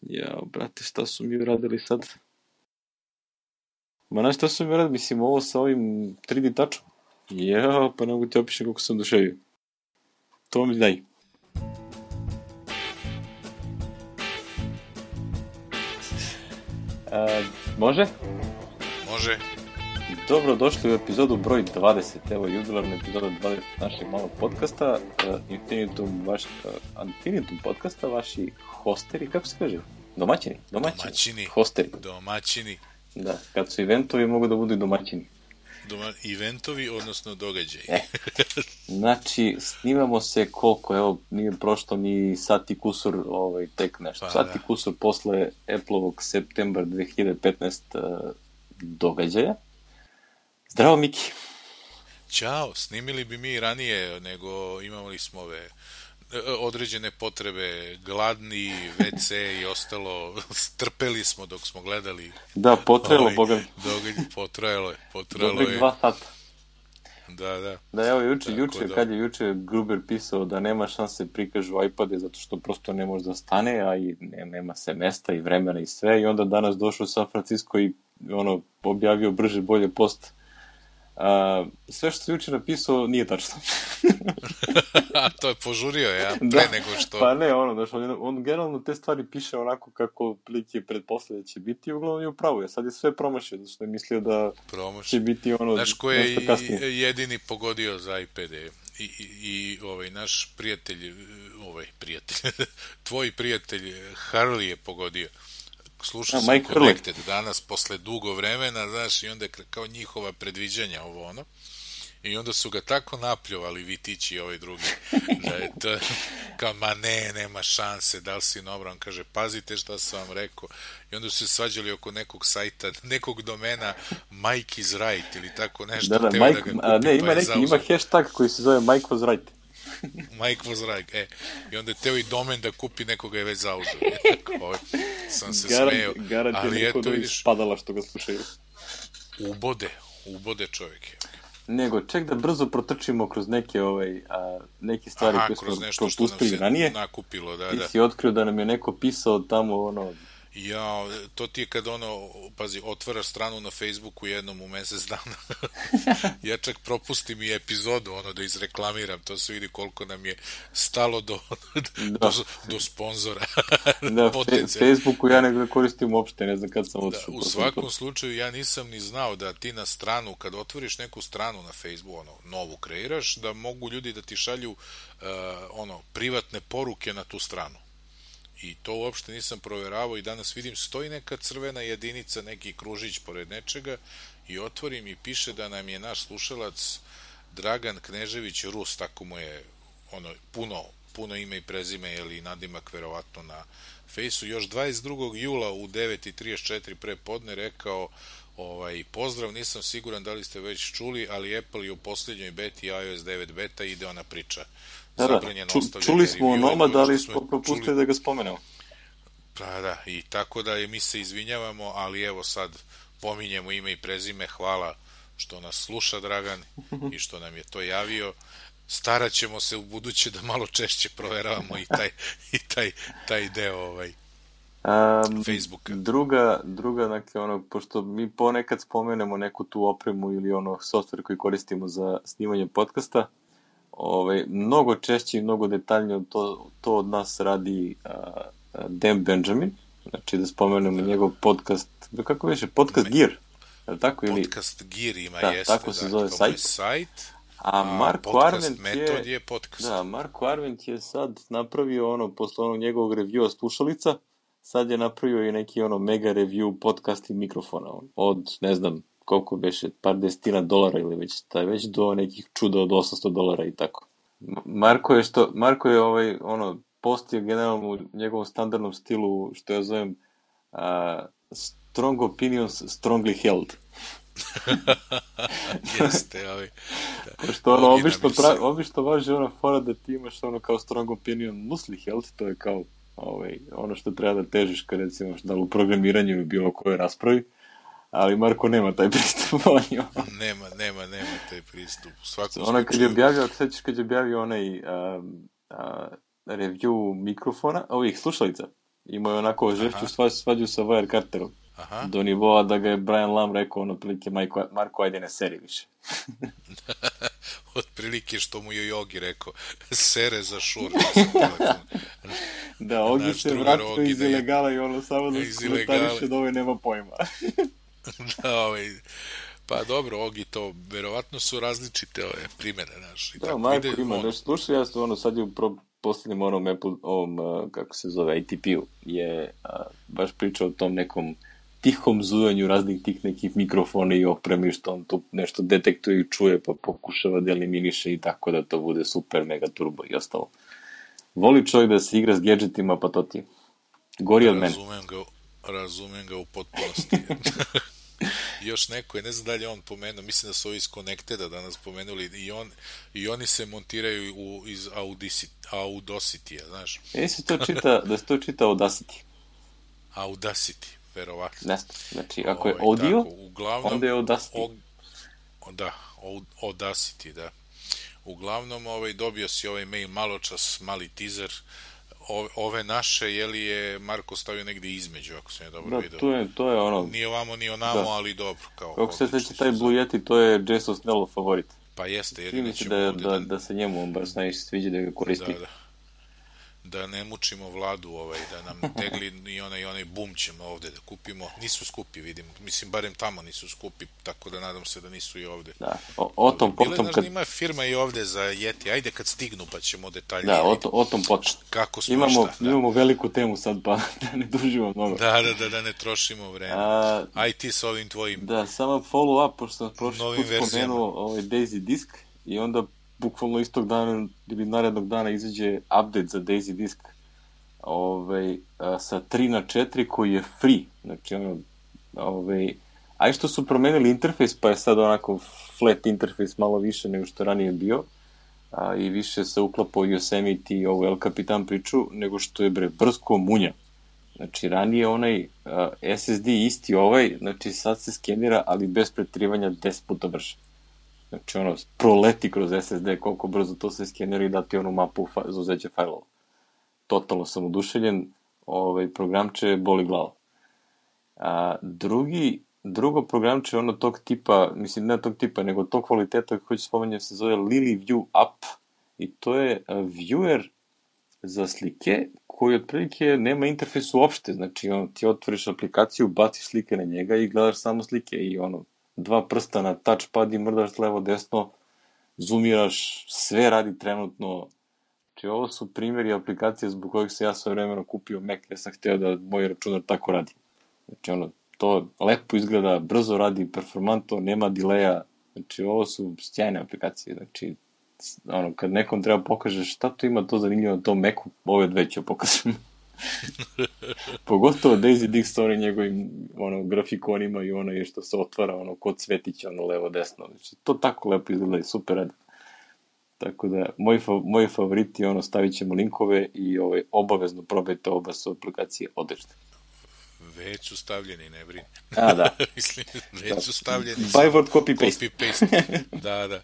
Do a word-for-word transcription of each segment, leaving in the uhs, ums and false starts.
Ja, brate, šta su mi uradili sad? Ma znaš šta su mi uradili? Mislim, ovo sa ovim tri D tačom. Ja, pa ne mogu ti opišem kako sam duševio. To mi daj. A, može? Može. Dobro, došli u epizodu broj dvadeset. Evo, jubilarna epizoda dvadeset našeg malog podcasta. Uh, Infinitum, vaš, uh, Infinitum podcasta, vaši hosteri, kako se kaže? Domaćini? Domaćini. Domaćini. Hosteri. Domaćini. Da, kad su eventovi mogu da budu i domaćini. Doma, eventovi, odnosno događaji. E. Znači, snimamo se koliko, evo, nije prošlo ni sat i kusur, ovaj, tek nešto. Pa, sat i kusur posle Apple-ovog septembar dve hiljade petnaeste. Uh, događaja. Zdravo, Miki. Ćao, snimili bi mi ranije, nego imali smo ove određene potrebe, gladni, ve ce i ostalo, strpeli smo dok smo gledali. Da, potrajalo, ovaj, boga. Događaj, potrajalo je, potrajalo Dobrih je. dva sata. Da, da. Da, evo, juče, Tako juče, da. kad je juče Gruber pisao da nema šanse prikažu iPade zato što prosto ne može da stane, a i ne, nema se mesta i vremena i sve, i onda danas došao u San Francisco i ono, objavio brže bolje post. Uh, sve što se juče napisao nije tačno. A to je požurio, ja, pre da, nego što... Pa ne, ono, znaš, on, on generalno te stvari piše onako kako prilike pretpostavlja će biti, uglavnom je upravo je. Sad je sve promašio, zato što je mislio da Promaš. će biti ono... Znaš ko je jedini pogodio za iPade? I, i, i ovaj, naš prijatelj, ovaj, prijatelj, tvoj prijatelj Harley je pogodio. Slušao sam Connected danas posle dugo vremena, znaš, i onda kao njihova predviđanja ovo ono, i onda su ga tako napljuvali Vitići i ovaj drugi, da je to kao, ma ne, nema šanse, da li si nobran, on kaže, pazite šta sam vam rekao, i onda su se svađali oko nekog sajta, nekog domena Mike is right, ili tako nešto. Da, da, Mike, da kupi, a, ne, ima, pa neki, ima hashtag koji se zove Mike was right. Mike was right, e. I onda je teo i domen da kupi, nekoga je već zauzeo. Sam se garant, smeo. Garant je neko da vidiš... spadala što ga slušaju. Ubode, ubode čovjek je. Nego, ček da brzo protrčimo kroz neke, ovaj, a, neke stvari Aha, koje smo propustili ranije. Nakupilo, da, Ti da. si otkrio da nam je neko pisao tamo, ono... Ja, to ti je kad ono, pazi, otvaraš stranu na Facebooku jednom u mesec dana. Ja čak propustim i epizodu, ono, da izreklamiram, to se vidi koliko nam je stalo do, da. do, do sponzora. Da, Facebooku ja ne koristim uopšte, ne znam kad sam otišao. Da, u svakom slučaju ja nisam ni znao da ti na stranu, kad otvoriš neku stranu na Facebooku, ono, novu kreiraš, da mogu ljudi da ti šalju, uh, ono, privatne poruke na tu stranu. I to uopšte nisam proveravao i danas vidim stoji neka crvena jedinica, neki kružić pored nečega i otvorim i piše da nam je naš slušalac Dragan Knežević Rus, tako mu je ono, puno, puno ime i prezime, ili nadimak verovatno na fejsu, još dvadeset drugog jula u devet i trideset četiri pre podne rekao, ovaj, pozdrav, nisam siguran da li ste već čuli, ali Apple je u posljednjoj beti iOS devet beta, ide ona priča. Da, da. Ču, čuli smo o Nomad, da li smo propustili čuli... da ga spomenemo. Pa da, i tako da je, mi se izvinjavamo, ali evo sad pominjemo ime i prezime, hvala što nas sluša Dragan i što nam je to javio. Starat ćemo se u buduće da malo češće proveravamo i taj, i taj, taj deo ovaj, um, Facebooka. Druga, druga, dakle, ono, pošto mi ponekad spomenemo neku tu opremu ili ono software koji koristimo za snimanje podcasta, Ove, mnogo češće i mnogo detaljnije to, to od nas radi uh, Dan Benjamin, znači da spomenemo da. njegov podcast, kako više, podcast Me, Gear, je tako? Podcast ili? Gear ima, da, jeste, tako se da, zove sajt. sajt, a, a Marko Arment je, je podcast. Da, Marko Arment je sad napravio ono, posle onog njegovog reviewa slušalica, sad je napravio i neki ono mega review podcast i mikrofona, od, ne znam, koliko beše, par desetina dolara ili već, taj već do nekih čuda od osamsto dolara i tako. Marko je što, Marko je ovaj, ono, postio generalno u njegovom standardnom stilu, što ja zovem, uh, strong opinions, strongly held. Jeste, ali... Da. Što ono, obično, pravi, obično važi ona fora da ti imaš ono kao strong opinion loosely held, to je kao ovaj, ono što treba da težiš kad recimo da u programiranju ili bilo kojoj raspravi. Ali Marko nema taj pristup. nema, nema, nema taj pristup. U svakom ona kad je objavio, ako sećaš kad je objavio onaj um, uh, review mikrofona, ovih slušalica, Imao je onako žešću Aha, svađu sa Wire Carterom. aha. Do nivoa da ga je Brian Lam rekao, ono, prilike, Marko, Marko, ajde ne seri više. Otprilike što mu je Jogi rekao, sere za šur sa telefon. Da, Ogi Naš se drugar vratio Ogi iz da je ilegala i ono samo da iz komentariše ilegale. da ovaj nema pojma. Da, ovaj, pa dobro, Ogi to, verovatno su različite ove primere, znaš. I Da, tako Marko ide, ima, ono, znaš, slušaj, ja sam ono sad je u pro, posljednjem onom Apple, ovom, uh, kako se zove, A T P-u, je uh, baš pričao o tom nekom tihom zujanju raznih tih nekih mikrofona i opremi, što on tu nešto detektuje i čuje, pa pokušava da eliminiše i tako da to bude super, mega turbo i ostalo. Voli čovjek da se igra s gadgetima, pa to ti je. Gori od mene. razumem ga, razumem ga u potpunosti. Još neko je, ne znam da li je on pomenuo, mislim da su ovi iz Connecteda danas pomenuli, i, on, i oni se montiraju u, iz Audacity, Audacity, znaš. E, se to čita, da se to čita Audacity. Audacity, verovatno. Ne znam, znači, ako je Ovaj, audio, tako, uglavnom, onda je Audacity. O, da, Audacity, da. Uglavnom, ovaj, dobio si ovaj mail maločas, mali teaser, ove, ove naše, je li je Marko stavio negdje između, ako sam je dobro Da, vidio. to je, to je ono... Nije ovamo, ni onamo, Da. ali dobro. Kao, Kako se odlični sveći su taj za- Blue Yeti, to je Jason Snellov favorit. Pa jeste, jer Čini mi se nećemo da, ovdje da, da, da se njemu on baš najviše sviđa da ga koristi. da, da, da ne mučimo vladu, ovaj, da nam tegli i onaj, onaj bum ćemo ovdje da kupimo. Nisu skupi, vidim. Mislim, barem tamo nisu skupi, tako da nadam se da nisu i ovdje. Da, o, o tom Bile, potom znaš, kad... ima firma i ovdje za Yeti. Ajde kad stignu pa ćemo detaljnije. Da, o, to, o tom potom. Kako smo Imamo, šta, da. imamo veliku temu sad, pa da ne dužimo mnogo. Da, da, da, da ne trošimo vreme. A, Aj ti sa ovim tvojim. da, samo follow up, pošto sam prošli Novim put verzijama. spomenuo ovaj Daisy Disk i onda bukvalno istog dana ili narednog dana izađe update za Daisy Disk ovaj, a, sa tri na četiri koji je free. Znači, ono, ovaj, a i što su promenili interfejs, pa je sad onako flat interfejs malo više nego što ranije bio, a, i više se uklapao Yosemite i ovo El Capitan priču, nego što je bre brsko munja. Znači, ranije onaj a, S S D isti ovaj, znači sad se skenira, ali bez pretrivanja deset puta brže. Znači, ono, proleti kroz S S D, koliko brzo to se skenira i dati onu mapu fa za uzeće fajlova. Totalno sam oduševljen, ovaj, programče boli glava. A, drugi, drugo programče ono tog tipa, mislim ne tog tipa, nego tog kvaliteta koji ću spomenuti se zove LilyView App i to je a, viewer za slike koji otprilike nema interfejs uopšte, znači on, ti otvoriš aplikaciju, baciš slike na njega i gledaš samo slike i ono, dva prsta na touchpad i mrdaš levo desno, zoomiraš, sve radi trenutno. Znači, ovo su primjeri aplikacije zbog kojih se ja sve vremeno kupio Mac, jer sam htio da moj računar tako radi. Znači, ono, to lepo izgleda, brzo radi, performantno, nema dileja. Znači, ovo su sjajne aplikacije. Znači, ono, kad nekom treba pokažeš šta to ima to zanimljivo na tom Macu, ove dve ću pokažem. Pogotovo Daisy Disk sa onim njegovim ono, grafikonima i ono je što se otvara ono, kod cvetića, ono, levo, desno. Znači, to tako lepo izgleda i super radi. Tako da, moji, moji favoriti, ono, stavit ćemo linkove i ovaj, obavezno probajte oba su aplikacije odlične. Već su stavljeni, ne brini. A, da. Mislim, već da. su stavljeni. By word copy paste. Copy paste. Da, da.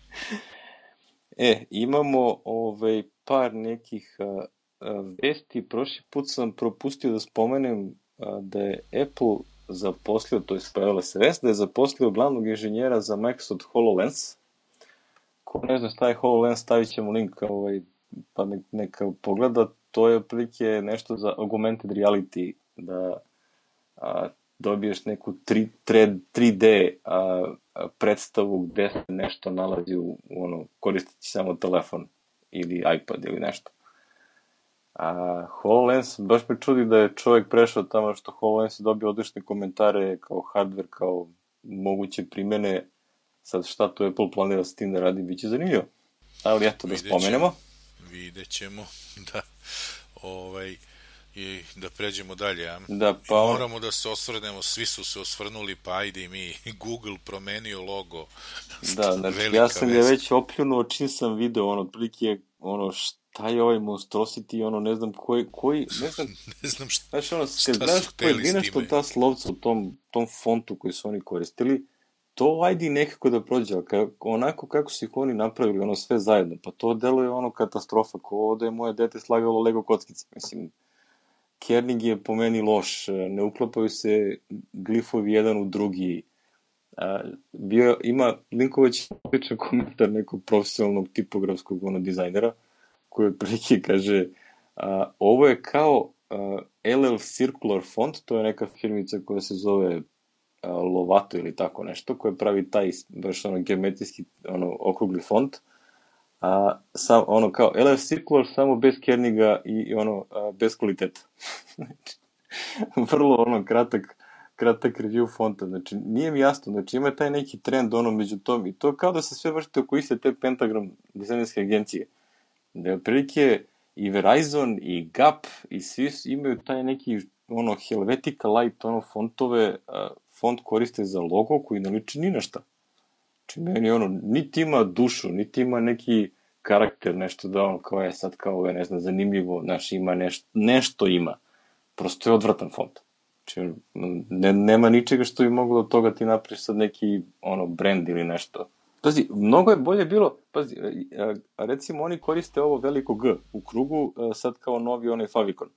E, imamo ovaj, par nekih a, a, vesti. Prošli put sam propustio da spomenem a, da je Apple zaposlio, to je pojavila se vest, da je zaposlio glavnog inženjera za Microsoft HoloLens. Ko ne zna šta je HoloLens, stavit ćemo link ovaj, pa nek, neka pogleda. To je otprilike nešto za augmented reality, da a, dobiješ neku tri D a, a, predstavu gde se nešto nalazi u, u ono, koristeći samo telefon ili iPad ili nešto. A HoloLens, baš me čudi da je čovjek prešao tamo što HoloLens je dobio odlične komentare kao hardware, kao moguće primjene. Sad šta tu Apple planira s tim da radi, bit će zanimljivo. Ali eto, da spomenemo. Vidjet ćemo, da. Ovaj, i da pređemo dalje. Ja? Da, pa on... Moramo da se osvrnemo, svi su se osvrnuli, pa ajde i mi. Google promenio logo. Da, znači ja sam je već opljunuo čim sam video, ono, otprilike, ono, šta je ovaj monstrosity, ono, ne znam koji, koji ne znam, ne znam šta, znaš, ono, šta znaš, su hteli s nešto time. Ta slovca u tom, tom fontu koji su oni koristili, to ajde nekako da prođe, onako kako su ih oni napravili, ono, sve zajedno, pa to deluje ono katastrofa, ko da je moje dete slagalo Lego kockice, mislim, kerning je po meni loš, ne uklapaju se glifovi jedan u drugi. A, bio, ima Linković običan komentar nekog profesionalnog tipografskog ono, dizajnera, koji otprilike kaže a, ovo je kao a, L L Circular font, to je neka firmica koja se zove a, Lovato ili tako nešto, koja pravi taj baš ono geometrijski ono, okrugli font, a, sam, ono kao L L Circular samo bez kerninga i, i ono a, bez kvaliteta. Znači, vrlo ono kratak kratak review fonta, znači nije mi jasno, znači ima taj neki trend ono među tom i to kao da se sve vršte oko iste te Pentagram dizajnerske agencije, da je otprilike i Verizon i Gap i svi imaju taj neki ono Helvetica Light ono fontove, a, font koriste za logo koji ne liči ni na šta. Znači meni ono, niti ima dušu, niti ima neki karakter, nešto da ono kao je sad kao je ne znam zanimljivo, znaš ima nešto, nešto ima, prosto je odvratan font. Znači, ne, nema ničega što bi moglo od toga ti napriš sad neki ono brand ili nešto. Pazi, mnogo je bolje bilo, pazi, recimo oni koriste ovo veliko G u krugu, sad kao novi onaj favicon.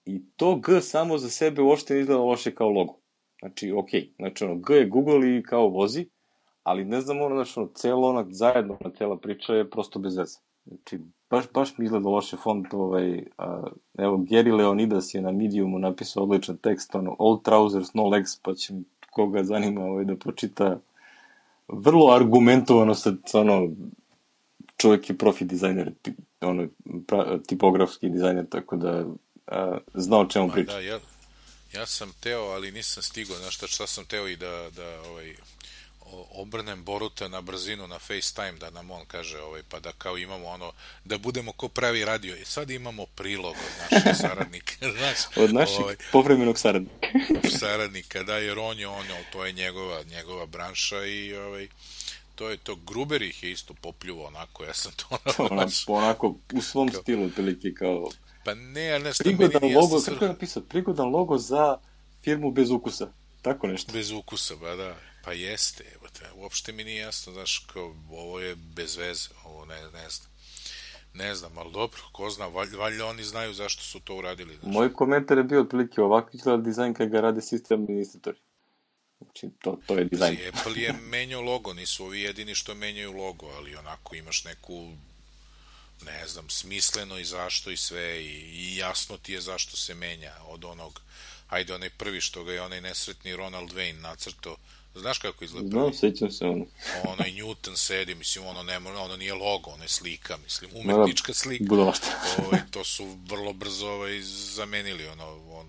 I to G samo za sebe uopšte ne izgleda loše kao logo. Znači, okej, okay. Znači ono, G je Google i kao vozi, ali ne znam ono, znači ono, celo ona, zajedno ona cela priča je prosto bez veze. Znači, baš, baš mi izgleda loše font, ovaj, a, evo, Gary Leonidas je na Mediumu napisao odličan tekst, ono, all trousers, no legs, pa će koga zanima ovaj, da pročita vrlo argumentovano sa, ono, čovjek je profi dizajner, ono, pra, tipografski dizajner, tako da a, zna o čemu priča. Da, ja, ja sam teo, ali nisam stigao, znaš šta, šta sam teo i da, da ovaj, obrnem Boruta na brzinu na FaceTime da nam on kaže ovaj, pa da kao imamo ono, da budemo ko pravi radio i sad imamo prilog od naših saradnika, znaš, od naših ovaj, povremenog saradnika saradnika, da, jer on je ono, to je njegova, njegova branša i ovaj, to je to, Gruber ih je isto popljuvao onako, ja sam to onako, onako u svom kao, stilu otprilike kao pa ne, ali nešto prigodan meni logo, kako je napisao, prigodan logo za firmu bez ukusa, tako nešto. Bez ukusa, ba da, pa jeste, evo te, uopšte mi nije jasno, znaš, kao, ovo je bez veze, ovo ne, ne znam, ne znam, ali dobro, ko zna, valjda, valjda oni znaju zašto su to uradili. Znaš. Moj komentar je bio otprilike ovako izgleda dizajn kada ga rade sistem administratori. Znači, to, to je dizajn. Znači, Apple je menjao logo, nisu ovi jedini što menjaju logo, ali onako imaš neku, ne znam, smisleno i zašto i sve, i, i jasno ti je zašto se menja od onog, ajde, onaj prvi što ga je onaj nesretni Ronald Wayne nacrto. Znaš kako izgleda prvi? No, sećam se ono. Onaj Newton sedi, mislim, ono, nema, ono nije logo, ono je slika, mislim, umetnička slika. Budalašta. Ovaj, to su vrlo brzo ovaj, zamenili, ono, on,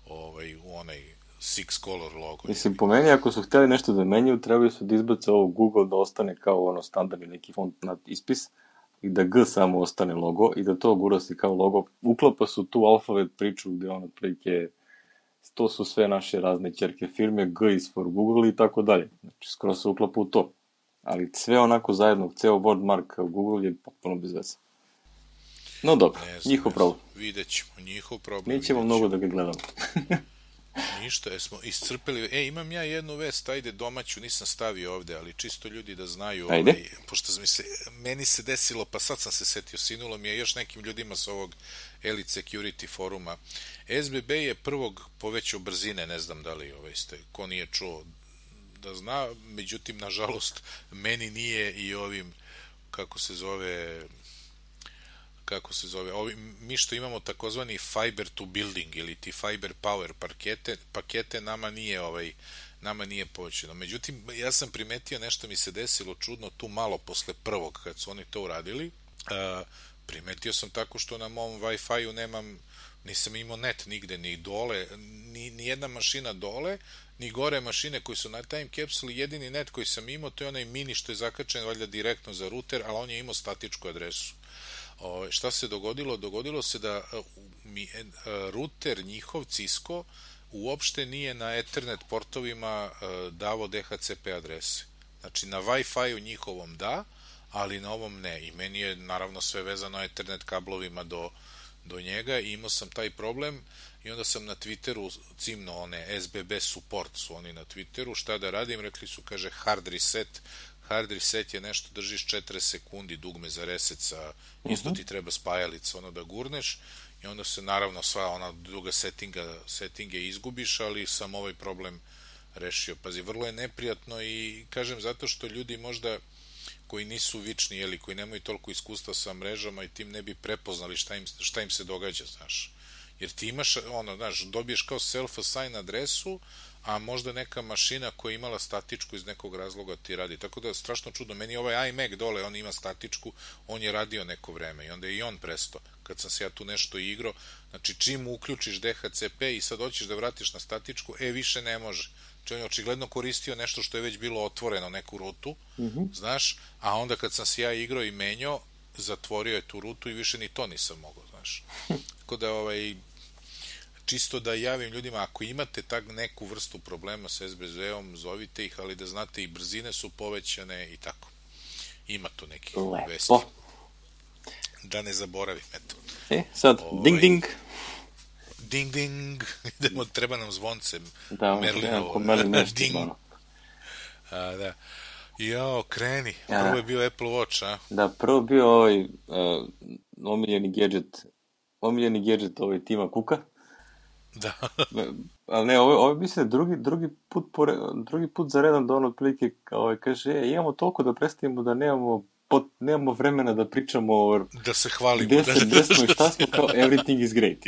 ovaj, u onaj Six Color logo. Mislim, po meni, ako su hteli nešto da menjaju, trebali su da izbace ovo Google da ostane kao ono standardni neki font na ispis i da G samo ostane logo i da to gurasi kao logo. Uklapa su tu alfabet priču gde ono prilike to su sve naše razne ćerke firme, G is for Google i tako dalje. Znači, skoro se uklapa u to. Ali sve onako zajedno, ceo wordmark Google je potpuno bez veze. No dobro, znam, njihov problem. Vidjet ćemo, njihov problem. Nećemo mnogo da ga gledamo. Ništa, jesmo iscrpeli. E, imam ja jednu vest, ajde domaću, nisam stavio ovde, ali čisto ljudi da znaju. Ajde. Ovaj, pošto mi se, meni se desilo, pa sad sam se setio, sinulo mi je još nekim ljudima s ovog Elite Security foruma. S B B je prvog povećao brzine, ne znam da li ovaj, ste, ko nije čuo da zna, međutim, nažalost, meni nije i ovim, kako se zove... kako se zove, ovi, mi što imamo takozvani fiber to building ili ti fiber power pakete, pakete nama nije ovaj, nama nije povećano. Međutim, ja sam primetio nešto mi se desilo čudno tu malo posle prvog kad su oni to uradili. Uh, primetio sam tako što na mom Wi-Fi-u nemam, nisam imao net nigde, ni dole, ni, ni jedna mašina dole, ni gore mašine koji su na time capsule, jedini net koji sam imao to je onaj mini što je zakačen valjda direktno za router, ali on je imao statičku adresu. O, šta se dogodilo? Dogodilo se da mi, router njihov Cisco uopšte nije na Ethernet portovima davo D H C P adrese. Znači na Wi-Fi-u njihovom da, ali na ovom ne. I meni je naravno sve vezano Ethernet kablovima do, do njega i imao sam taj problem i onda sam na Twitteru cimno one S B B support su oni na Twitteru, šta da radim? Rekli su, kaže, hard reset. Hard reset je nešto, držiš četrdeset sekundi dugme za reset sa, isto ti treba spajalica, ono da gurneš i onda se naravno sva ona druga settinga, settinge izgubiš, ali sam ovaj problem rešio. Pazi, vrlo je neprijatno i kažem zato što ljudi možda koji nisu vični, jeli, koji nemaju toliko iskustva sa mrežama i tim ne bi prepoznali šta im, šta im se događa, znaš. Jer ti imaš, ono, znaš, dobiješ kao self-assign adresu, a možda neka mašina koja je imala statičku iz nekog razloga ti radi. Tako da, strašno čudno. Meni ovaj iMac dole, on ima statičku, on je radio neko vreme i onda je i on presto. Kad sam se ja tu nešto igrao, znači čim uključiš D H C P i sad hoćeš da vratiš na statičku, e, više ne može. Znači on je očigledno koristio nešto što je već bilo otvoreno, neku rutu, mm-hmm. znaš, a onda kad sam se ja igrao i menjao, zatvorio je tu rutu i više ni to nisam mogao, znaš. Tako da, ovaj, čisto da javim ljudima, ako imate tak neku vrstu problema sa S B Z-om, zovite ih, ali da znate i brzine su povećane i tako. Ima tu nekih Lepo. Vesti. Da ne zaboravim, eto. E, sad, ovaj, ding ding. Ding ding, idemo, treba nam zvonce. Da, Merlinovo. Merlin nešto, ding. A, da. Jao, kreni. Prvo je bio Apple Watch, a? Da, prvo bio ovaj uh, omiljeni gadget, omiljeni gadget ovaj Tima Cooka. Da. Ali ne, ovo, ovo mislim drugi, drugi, put pore, drugi put za redom da on otprilike ovaj, kaže, e, imamo toliko da predstavimo da nemamo, pot, nemamo vremena da pričamo o... Da se hvalimo. Gde, se, gde smo i šta smo, kao everything is great.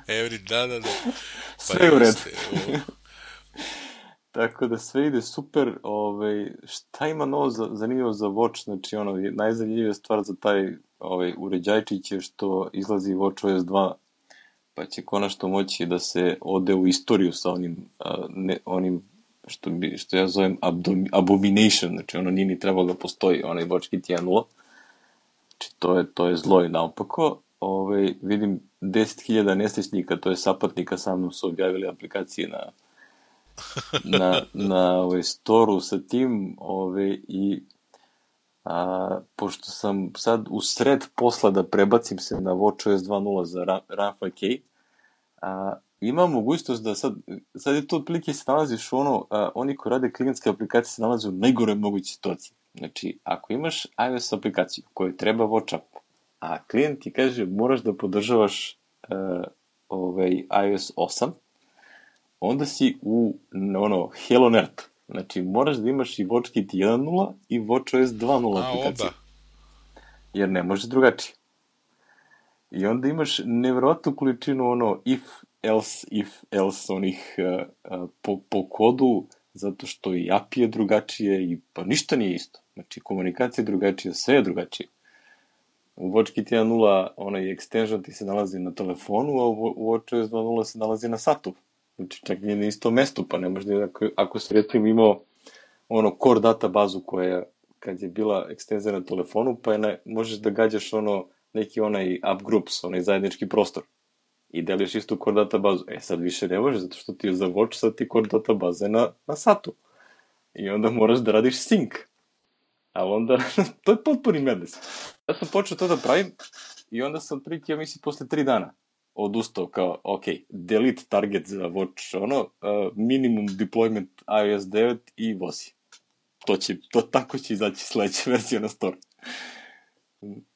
Every, da, da, da. Pa sve u redu. Tako da sve ide super. Ovaj, šta ima novo za, zanimljivo za Watch? Znači, ono, najzanimljivija stvar za taj ovaj, uređajčić je što izlazi WatchOS dva, pa će konačno moći da se ode u istoriju sa onim, a, ne, onim što, bi, što ja zovem abdom, abomination, znači ono nije ni trebalo da postoji, onaj WatchKit jedan nula. Znači to je, to je zlo i naopako. Ove, vidim deset hiljada nesrećnika, to je sapatnika, sa mnom su objavili aplikacije na na, na ovaj, storu sa tim ove, i a, pošto sam sad u sred posla da prebacim se na WatchOS dva nula za Rafa K, a, ima mogućnost da sad, sad je to otprilike se nalaziš u ono, a, oni koji rade klijentske aplikacije se nalaze u najgore mogućoj situaciji. Znači, ako imaš iOS aplikaciju koju treba Watch Up, a klijent ti kaže moraš da podržavaš uh, ovaj, iOS osam, onda si u ono, Hell on Earth. Znači, moraš da imaš i WatchKit jedan nula i WatchOS dva nula aplikaciju. Jer ne može drugačije. I onda imaš nevjerojatnu količinu ono if, else, if, else onih uh, uh, po, po kodu, zato što i A P I je drugačije i pa ništa nije isto. Znači, komunikacija je drugačija, sve je drugačije. U WatchKit jedan nula onaj extension ti se nalazi na telefonu, a u WatchOS dva nula se nalazi na satu. Znači, čak nije na isto mesto, pa ne možda, ako, ako se recimo imao ono core databazu koja, kad je bila ekstenzija na telefonu, pa je ne, možeš da gađaš ono, neki onaj app groups, onaj zajednički prostor. I deliš istu core databazu. E, sad više ne može, zato što ti je za Watch, sad ti core databaze na, na satu. I onda moraš da radiš sync. A onda, to je potpuni medles. Ja sam počeo to da pravim i onda sam prilike, ja mislim, posle tri dana odustao kao, ok, delete target za Watch, ono, uh, minimum deployment iOS devet i vozi. To će, to tako će izaći sledeća verzija na store.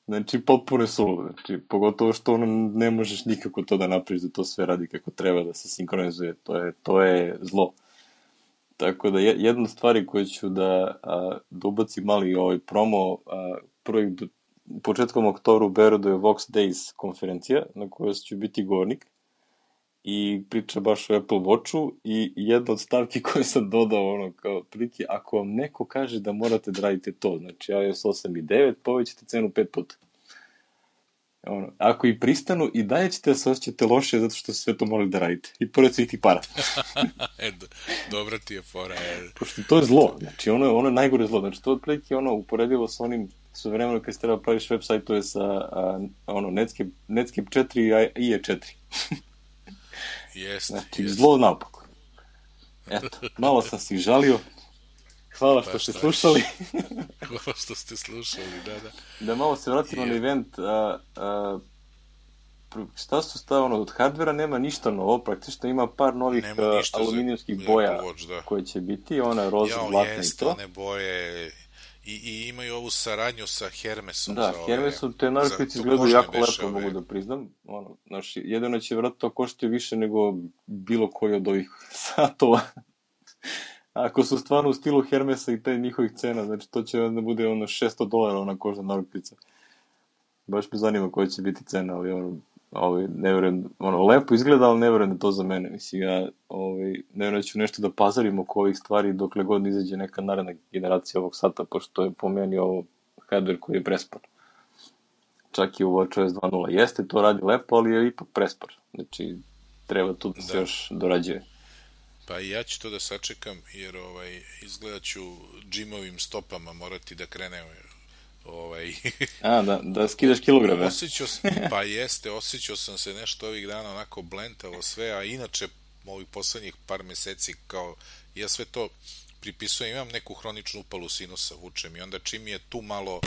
Znači, potpuno je suludo. Znači, pogotovo što ono, ne možeš nikako to da napraviš, da to sve radi kako treba, da se sinkronizuje. To je, to je zlo. Tako da, jedna od stvari koju ću da, a, da ubacim mali ovaj promo, a, prvih, početkom oktobra u Beogradu je Vox Days konferencija, na kojoj ću biti govornik i priča baš o Apple Watchu i jedna od stavki koje sam dodao, ono, kao prilike, ako vam neko kaže da morate da radite to, znači iOS osam i devet, povećate cenu pet puta. Ono, ako i pristanu, i dalje ćete da se osjećate loše zato što sve to morali da radite. I pored svih ti para. e, dobra ti je fora. Je. Pošto to je zlo. Znači, ono je, ono je najgore zlo. Znači, to otprilike ono uporedivo sa onim su vremeno kad se treba praviš web sajtove sa a, ono, Netscape, Netscape četiri i I E četiri. Jeste. Znači, jest. Zlo naopako. Eto, malo sam si žalio. Hvala što pa ste slušali. Hvala što ste slušali, da, da. Da malo se vratimo na event. A, a, šta su stavano od hardvera? Nema ništa novo, praktično ima par novih aluminijumskih boja Watch, koje će biti, ona roza, Jao, zlatna jest, i to. one boje, i, i imaju ovu saradnju sa Hermesom. Da, za ove, Hermesom te narukvice izgledaju jako lepo, ove... mogu da priznam. Ono, znaš, jedino će vratno to koštiti više nego bilo koji od ovih satova. Ako su stvarno u stilu Hermesa i te njihovih cena, znači to će da bude ono šesto dolara ona kožna narukvica. Baš me zanima koja će biti cena, ali ono, ovaj, ne verujem, ono, lepo izgleda, ali ne verujem da to za mene. Mislim, ja ovaj, ne verujem da ću nešto da pazarim oko ovih stvari dokle god izađe neka naredna generacija ovog sata, pošto je po meni ovo hardware koji je prespor. Čak i u WatchOS dva nula. Jeste, to radi lepo, ali je ipak prespor. Znači, treba tu da se da. još dorađuje. Pa i ja ću to da sačekam, jer ovaj, izgleda ću džimovim stopama morati da krenem ovaj... A, da, da skidaš kilograme. Osjećao sam, pa jeste, osjećao sam se nešto ovih dana onako blentavo sve, a inače ovih poslednjih par meseci kao, ja sve to pripisujem, imam neku hroničnu upalu sinusa, vučem i onda čim je tu malo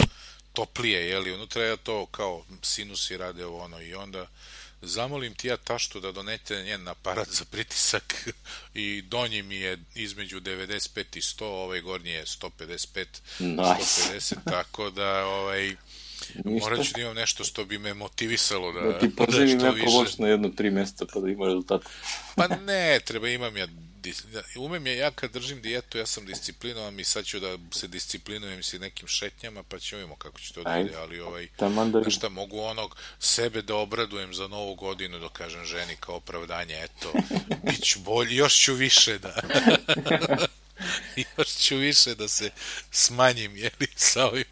toplije, jeli, unutra ja to kao sinusi rade ovo ono i onda zamolim ti ja taštu da donete njen aparat za pritisak i donji mi je između devedeset pet i sto, ovaj gornji je sto pedeset pet, nice. sto pedeset, tako da ovaj, morat ću da imam nešto što bi me motivisalo da, da ti poželim da Apple Watch na jedno tri mjeseca pa da ima rezultat. Pa ne, treba imam ja umem je, ja kad držim dijetu ja sam disciplinovan i sad ću da se disciplinujem si nekim šetnjama pa ćemo imamo kako će to da ide, ali ovaj, znaš šta, mogu onog sebe da obradujem za novu godinu, da kažem ženi kao opravdanje, eto, bit ću bolji, još ću više da još ću više da se smanjim, jeli, sa ovim.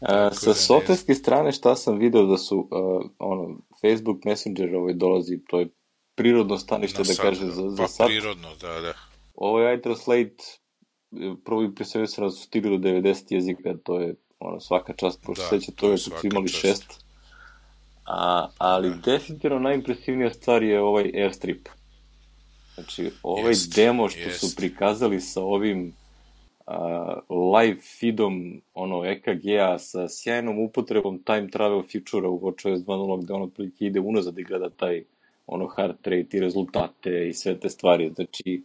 A, sa da softverske strane šta sam video da su uh, ono, Facebook Messenger ovaj dolazi, to je prirodno stanište, da kaže, za, za pa, sad. Prirodno, da, da. Ovo je iTranslate, prvo i pre se su stigli do devedeset jezika, to je ono, svaka čast, pošto da, seća to je kad su imali čast. šest. A, ali da. definitivno najimpresivnija stvar je ovaj Airstrip. Znači, ovaj jest, demo što jest. su prikazali sa ovim uh, live feedom ono, E K G-a sa sjajnom upotrebom time travel feature-a u WatchOS dva nula, gde ono prilike ide unazad i gleda taj ono heart rate i rezultate i sve te stvari, znači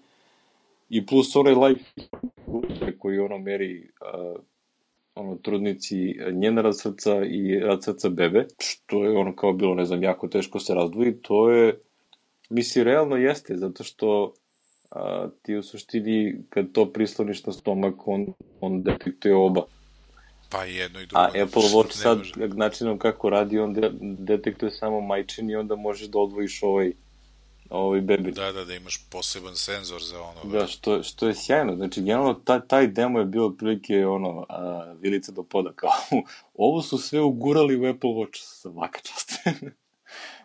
i plus onaj live koji ono meri uh, ono trudnici njen rad srca i rad srca bebe, što je ono kao bilo, ne znam, jako teško se razdvoji, to je, misli, realno jeste, zato što uh, ti u suštini kad to prisloniš na stomak, on, on detektuje oba. Pa jedno i drugo. A Apple Watch sad, načinom kako radi, on de detektuje samo majčin i onda možeš da odvojiš ovaj, ovaj bebi. Da, da, da imaš poseban senzor za ono. Da, što, što je sjajno. Znači, generalno, taj, taj demo je bio otprilike, ono, a, vilica do poda, kao, ovo su sve ugurali u Apple Watch, svaka čast.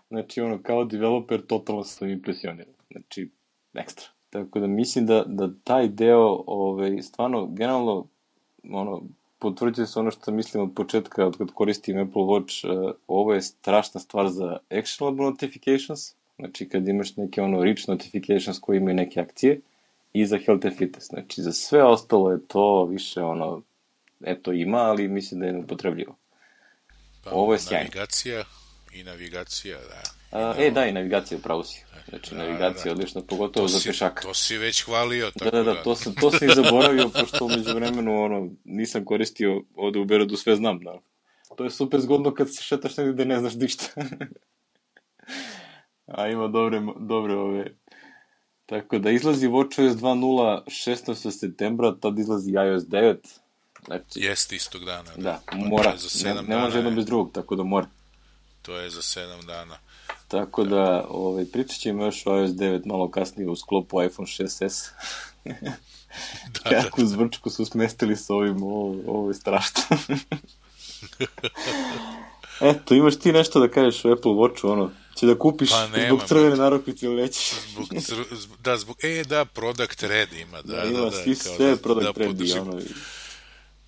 Znači, ono, kao developer, totalno sam impresioniran. Znači, ekstra. Tako da mislim da, da taj deo, ovaj, stvarno, generalno, ono, potvrđuje se ono što mislim od početka, od kad koristim Apple Watch, uh, ovo je strašna stvar za actionable notifications, znači kad imaš neke ono rich notifications koji imaju neke akcije, i za health and fitness, znači za sve ostalo je to više ono, eto ima, ali mislim da je neupotrebljivo. Pa, ovo je sjajno. Navigacija i navigacija, da. A, e, da, i navigacija, upravo si. Znači, da, navigacija da, da. odlična, pogotovo to za pešaka. To si već hvalio, tako da. Da, da, to sam, to sam i zaboravio, pošto umeđu vremenu, ono, nisam koristio ovde u Berodu, sve znam, da. To je super zgodno kad se šetaš negdje da ne znaš ništa. A ima dobre, dobre ove... Tako da izlazi WatchOS dva nula šesnaestog septembra, tad izlazi iOS devet. Znači, jeste istog dana. Da, da mora, ne, ne može jedno bez drugog, tako da mora. To je za sedam dana. Tako da, ovaj, pričat ćemo još o iOS devet malo kasnije u sklopu iPhone šest es. da, Kako da, zvrčku su smestili s ovim, ovo, ovo je strašno. Eto, imaš ti nešto da kažeš o Apple Watchu, ono, će da kupiš pa nema, zbog crvene narukvice ili nećeš? Zbog cr... Da, zbog, e, da, Product Red ima, da, da, da. Ima da, svi kao sve da, Product da Red i ono, i,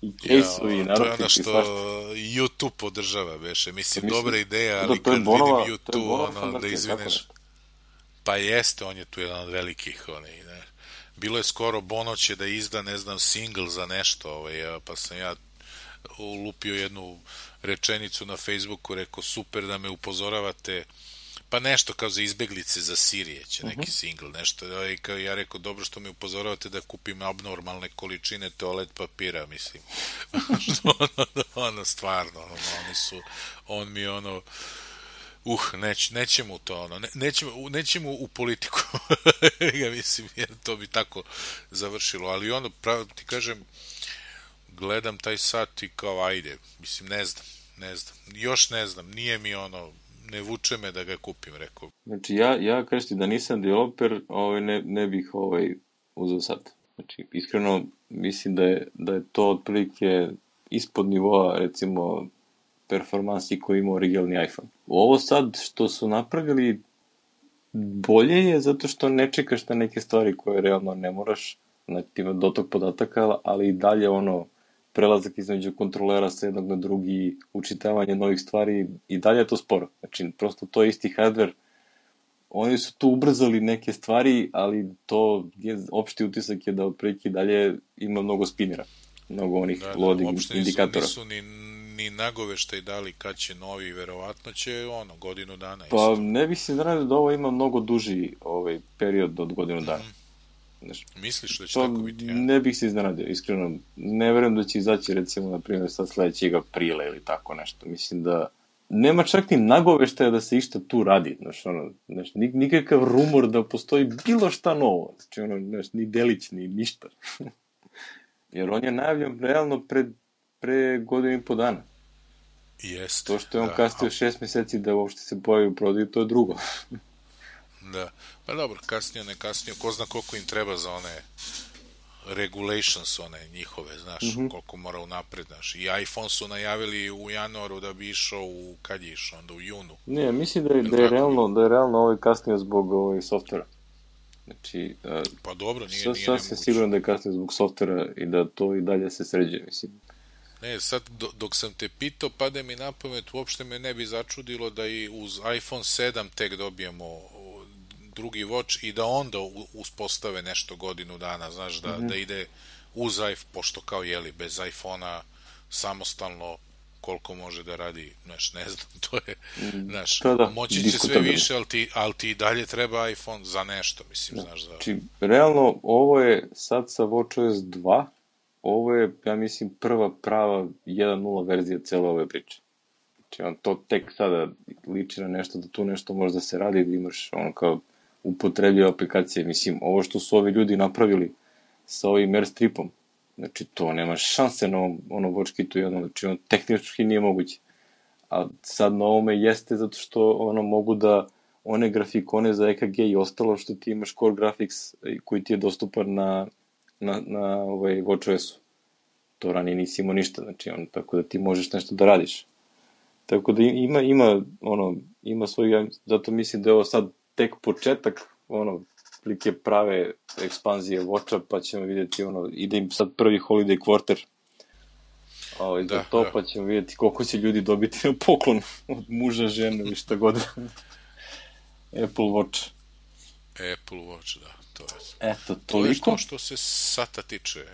i case-ovi, ja, i narukvice. To je ono što YouTube podržava, veše, mislim, mislim dobra ideja, ali kad bonova, vidim YouTube, ono, da izvineš, pa jeste, on je tu jedan od velikih, onaj, ne. Bilo je skoro Bono će da izda, ne znam, single za nešto, ovaj, pa sam ja ulupio jednu rečenicu na Facebooku, rekao super da me upozoravate pa nešto kao za izbeglice za Sirije će neki Uh-huh. single, nešto. I kao ja rekao, dobro što mi upozoravate da kupim abnormalne količine toalet papira, mislim. Što ono, ono, stvarno, ono, oni su, on mi ono, uh, neć, nećemo u to, ono, ne, nećemo, nećemo u politiku, ja mislim, jer to bi tako završilo, ali ono, pravo ti kažem, gledam taj sat i kao, ajde, mislim, ne znam, ne znam, još ne znam, nije mi ono, ne vuče me da ga kupim, rekao. Znači, ja, ja kažem da nisam developer, ovaj, ne, ne bih ovaj, uzeo sad. Znači, iskreno, mislim da je, da je to otprilike ispod nivoa, recimo, performansi koji ima originalni iPhone. Ovo sad što su napravili bolje je zato što ne čekaš na neke stvari koje realno ne moraš, znači ima dotok podataka, ali i dalje ono prelazak između kontrolera sa jednog na drugi, učitavanje novih stvari, i dalje je to sporo. Znači, prosto to je isti hardware. Oni su tu ubrzali neke stvari, ali to je, opšti utisak je da otprilike dalje ima mnogo spinera. Mnogo onih da, loading da, indikatora. Nisu, nisu ni, ni nagoveštaj dali kad će novi, verovatno će ono, godinu dana isto. Pa ne bih se znao da ovo ima mnogo duži ovaj, period od godinu dana. Mm. Znaš, misliš da će tako biti? Ja? Ne bih se iznenadio, iskreno. Ne verujem da će izaći, recimo, na primjer, sad sledećeg aprila ili tako nešto. Mislim da nema čak ni nagoveštaja da se išta tu radi. Znaš, ono, znaš, nikakav rumor da postoji bilo šta novo. Znači, ono, znaš, ni delić, ni ništa. Jer on je najavljen realno pre, pre godinu i po dana. Jeste. To što je on da, kasnio a... šest meseci da uopšte se pojavi u prodaju, to je drugo. Da, pa dobro, kasnije, ne kasnije, ko zna koliko im treba za one regulations, one njihove, znaš, mm-hmm. koliko mora unapred, znaš. I iPhone su najavili u januaru da bi išao u, kad je išao, onda u junu. Ne, mislim da je, da je, realno, da je realno ovaj kasnije zbog ovaj softvera. Znači, uh, pa dobro, nije, sad, nije sad se sigurno da je kasnije zbog softvera i da to i dalje se sređe, mislim. Ne, sad dok sam te pitao, pade mi na pamet, uopšte me ne bi začudilo da i uz iPhone sedam tek dobijemo drugi watch i da onda uspostave nešto godinu dana, znaš, da, mm-hmm. da ide uz iPhone, pošto kao jeli, bez iPhona samostalno koliko može da radi, znaš, ne znam, to je, znaš, da, da, moći će sve više, ali ti, ali ti dalje treba iPhone za nešto, mislim, da, znaš. Da... Znači, realno, ovo je sad sa watchOS dva, ovo je, ja mislim, prva prava jedan nula verzija cele ove priče. Znači, on to tek sada liči na nešto, da tu nešto može da se radi, da imaš ono kao upotrebljive aplikacije. Mislim, ovo što su ovi ljudi napravili sa ovim Airstripom, znači, to nema šanse na ovom ono, watchkitu jednom, znači, on tehnički nije moguće. A sad na ovome jeste zato što ono mogu da one grafikone za E K G i ostalo što ti imaš Core Graphics koji ti je dostupan na, na, na ovaj watchOS-u. To ranije nisi imao ništa, znači, on, tako da ti možeš nešto da radiš. Tako da ima, ima, ono, ima svoj, zato mislim da je ovo sad tek početak, ono, plike prave ekspanzije Watcha, pa ćemo vidjeti, ono, ide im sad prvi holiday quarter, ovaj, da, za to, da. Pa ćemo vidjeti koliko će ljudi dobiti na poklon od muža, žene ili šta god. Apple Watch. Apple Watch, da, to je. Eto, toliko. To je što, što se sata tiče.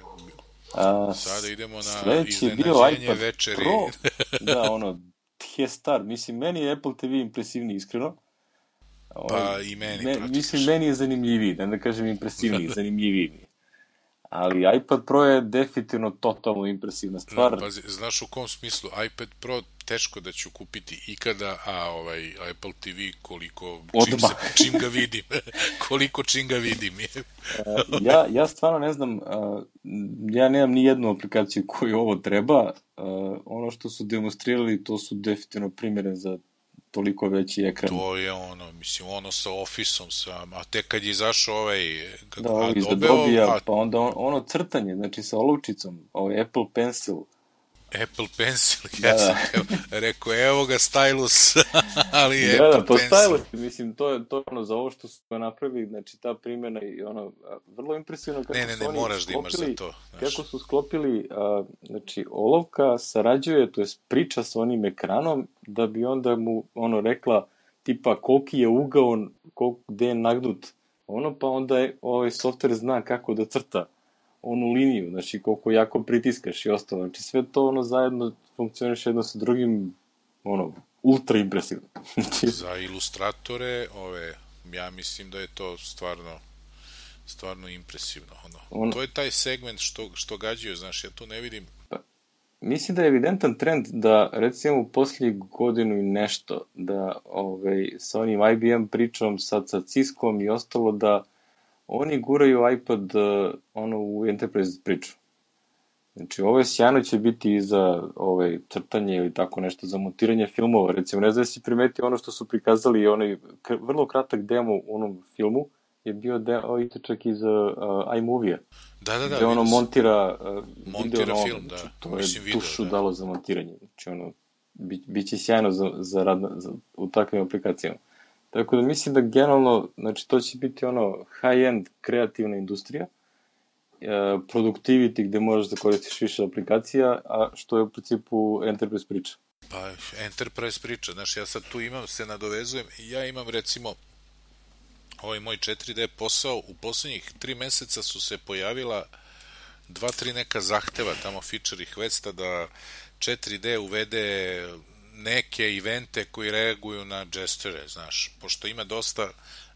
A, sada idemo na iznenađenje večeri. Pro. Da, ono, je star. Mislim, meni je Apple te ve impresivniji, iskreno. Pa i meni, me, mislim, meni je zanimljiviji, da ne kažem impresivniji, zanimljiviji. Ali iPad Pro je definitivno totalno impresivna stvar. No, pazi, znaš u kom smislu? iPad Pro teško da ću kupiti ikada, a ovaj Apple te ve koliko, čim, se, čim ga vidim, koliko čim ga vidim. ja, ja stvarno ne znam, ja nemam ni jednu aplikaciju koju ovo treba, ono što su demonstrirali, to su definitivno primjere za toliko veći ekran. To je ono, mislim, ono sa Office-om sam, a tek kad je izašao ovaj da, ovo iz Adobe-a, a... pa onda on, ono crtanje, znači sa olovčicom, ovaj Apple Pencil. Apple Pencil, ja da, sam da. rekao, evo ga stylus, ali je da, Apple da, pa Pencil. Stylus, mislim, to je to ono, za ovo što su napravili, znači ta primjena i ono, vrlo impresivno kako ne, ne, ne, su oni moraš sklopili, da imaš za to. Znaš. Kako su sklopili, a, znači, olovka sarađuje, to je priča sa onim ekranom, da bi onda mu, ono, rekla, tipa, koliki je ugao, koliko, gde je nagnut, ono, pa onda je, ovaj softver zna kako da crta onu liniju, znači koliko jako pritiskaš i ostalo, znači sve to ono zajedno funkcioniš jedno sa drugim, ono, ultra impresivno. Za ilustratore, ove, ja mislim da je to stvarno stvarno impresivno. Ono. On, To je taj segment što, što gađaju, znaš, ja tu ne vidim. pa, mislim da je evidentan trend da, recimo, u posljednjih godinu i nešto, da ovaj, sa onim I B M pričom, sad sa Ciskom i ostalo, da oni guraju iPad uh, ono, u Enterprise priču. Znači, ovo je sjajno će biti i za ovaj, crtanje ili tako nešto, za montiranje filmova. Recimo, ne znam da si primetio ono što su prikazali, onaj vrlo kratak demo u onom filmu, je bio deo i čak iz uh, iMovie-a. Da, da, da. Gde ono montira, uh, montira video film, ono, da. Znači, to Mislim, je video, tušu da. dalo za montiranje. Znači, ono, bi, biće sjajno za, za rad na, za, u takvim aplikacijama. Tako da mislim da generalno, znači, to će biti ono high-end kreativna industrija, productivity gde možeš da koristiš više aplikacija, a što je u principu Enterprise priča. Pa, Enterprise priča, znaš, ja sad tu imam, se nadovezujem, ja imam recimo ovaj moj četiri D posao, u poslednjih tri meseca su se pojavila dva, tri neka zahteva tamo feature requesta da četiri D uvede neke evente koji reaguju na gestore, znaš, pošto ima dosta,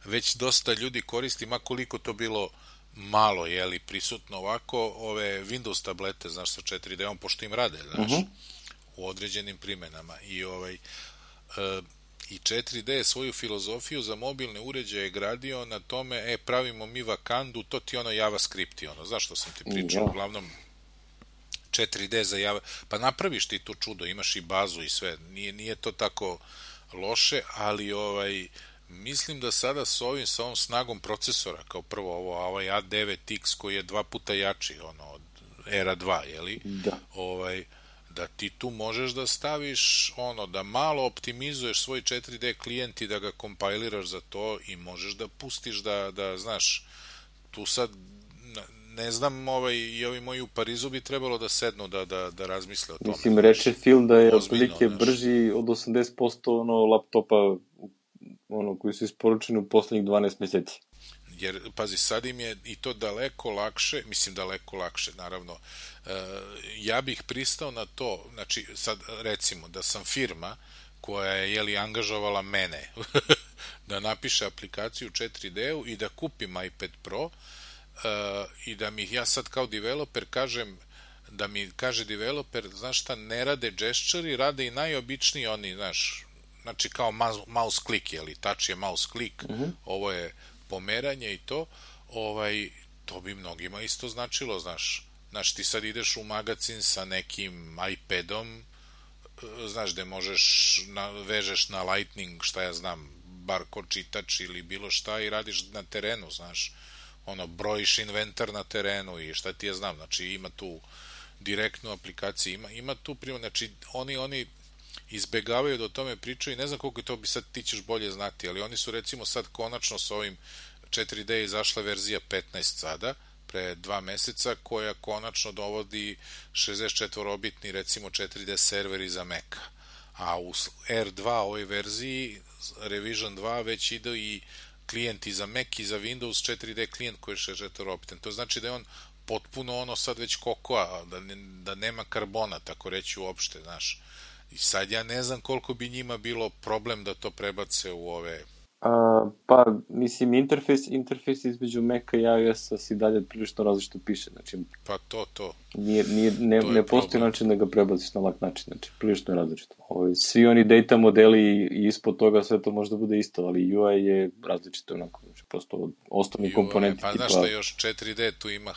već dosta ljudi koristi, ma koliko to bilo malo, jeli, prisutno ovako, ove Windows tablete, znaš, sa četiri D-om, pošto im rade, znaš, uh-huh. u određenim primenama. I ovaj, e, i četiri D je svoju filozofiju za mobilne uređaje gradio na tome, e, pravimo mi vakandu, to ti ono JavaScript, ono, znaš što sam ti pričao, yeah. uglavnom četiri D za Java, pa napraviš ti to čudo, imaš i bazu i sve, nije, nije to tako loše, ali ovaj, mislim da sada s ovim, sa ovom snagom procesora, kao prvo ovo, ovaj A devet X koji je dva puta jači, ono, od Era dva, jeli? Da. Ovaj, da ti tu možeš da staviš, ono, da malo optimizuješ svoj četiri D klijent i da ga kompajliraš za to i možeš da pustiš da, da znaš, tu sad, ne znam, ovaj, i ovi moji u Parizu bi trebalo da sednu da, da, da razmisle o tome. Mislim, reče Phil da je otprilike brži od osamdeset posto ono, laptopa ono, koji su isporučeni u poslednjih dvanaest meseci. Jer, pazi, sad im je i to daleko lakše, mislim daleko lakše, naravno, e, ja bih pristao na to, znači, sad recimo, da sam firma koja je, jeli, angažovala mene da napiše aplikaciju u četiri D-u i da kupim iPad Pro e, i da mi ja sad kao developer kažem, da mi kaže developer, znaš šta, ne rade gesture, rade i najobičniji oni, znaš, znači kao mouse click, jeli, touch je mouse click, mm-hmm. ovo je pomeranje i to, ovaj, to bi mnogima isto značilo, znaš, znaš, ti sad ideš u magazin sa nekim iPadom, znaš, gde možeš, na, vežeš na Lightning, šta ja znam, barkod čitač ili bilo šta i radiš na terenu, znaš, ono, brojiš inventar na terenu i šta ti ja znam, znači ima tu direktnu aplikaciju, ima, ima tu prima, znači oni, oni izbegavaju da o tome pričaju i ne znam koliko to bi sad ti ćeš bolje znati, ali oni su recimo sad konačno s ovim četiri D izašla verzija petnaest sada, pre dva meseca, koja konačno dovodi šezdeset četiri bitni recimo četiri D serveri za Maca. A u R dva ovoj verziji, Revision dva, već ide i klijenti za Mac i za Windows četiri D klijent koji je šezdeset četiri bitan. To znači da je on potpuno ono sad već kokoa, da, ne, da nema karbona, tako reći uopšte, znaš. I sad ja ne znam koliko bi njima bilo problem da to prebace u ove... A, pa, mislim, interfejs, interfejs između Maca i iOS-a si dalje prilično različito piše, znači... Pa to, to. Nije, nije, ne, to ne postoji način da ga prebaciš na lak način, znači, prilično je različito. Ovi, svi oni data modeli i ispod toga sve to možda bude isto, ali U I je različito onako, znači, prosto osnovni komponenti. Pa znaš šta, još četiri D tu ima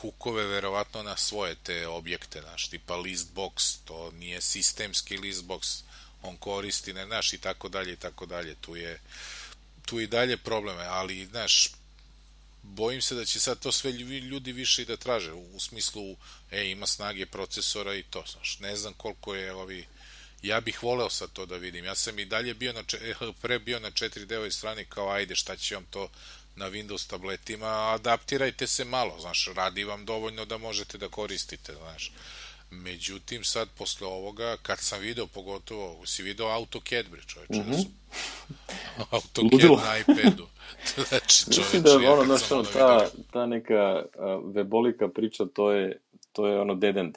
hukove verovatno na svoje te objekte, znaš, tipa listbox, to nije sistemski listbox, on koristi, ne, znaš, i tako dalje, i tako dalje, tu je, tu i dalje probleme, ali, znaš, bojim se da će sad to sve ljudi više i da traže, u smislu, e, ima snage procesora i to, znaš, ne znam koliko je ovi, ja bih voleo sad to da vidim, ja sam i dalje bio na, pre bio na četiri D-ovoj strani kao, ajde, šta će vam to na Windows tabletima, adaptirajte se malo, znaš, radi vam dovoljno da možete da koristite, znaš. Međutim, sad, posle ovoga, kad sam video, pogotovo, si video AutoCAD, bre, čoveče, mm-hmm. da su AutoCAD Ludilo. Na iPadu. Znači, čoveče, mislim da je ono, znaš, ono, ta, ta neka uh, webolika priča, to je, to je ono dead end.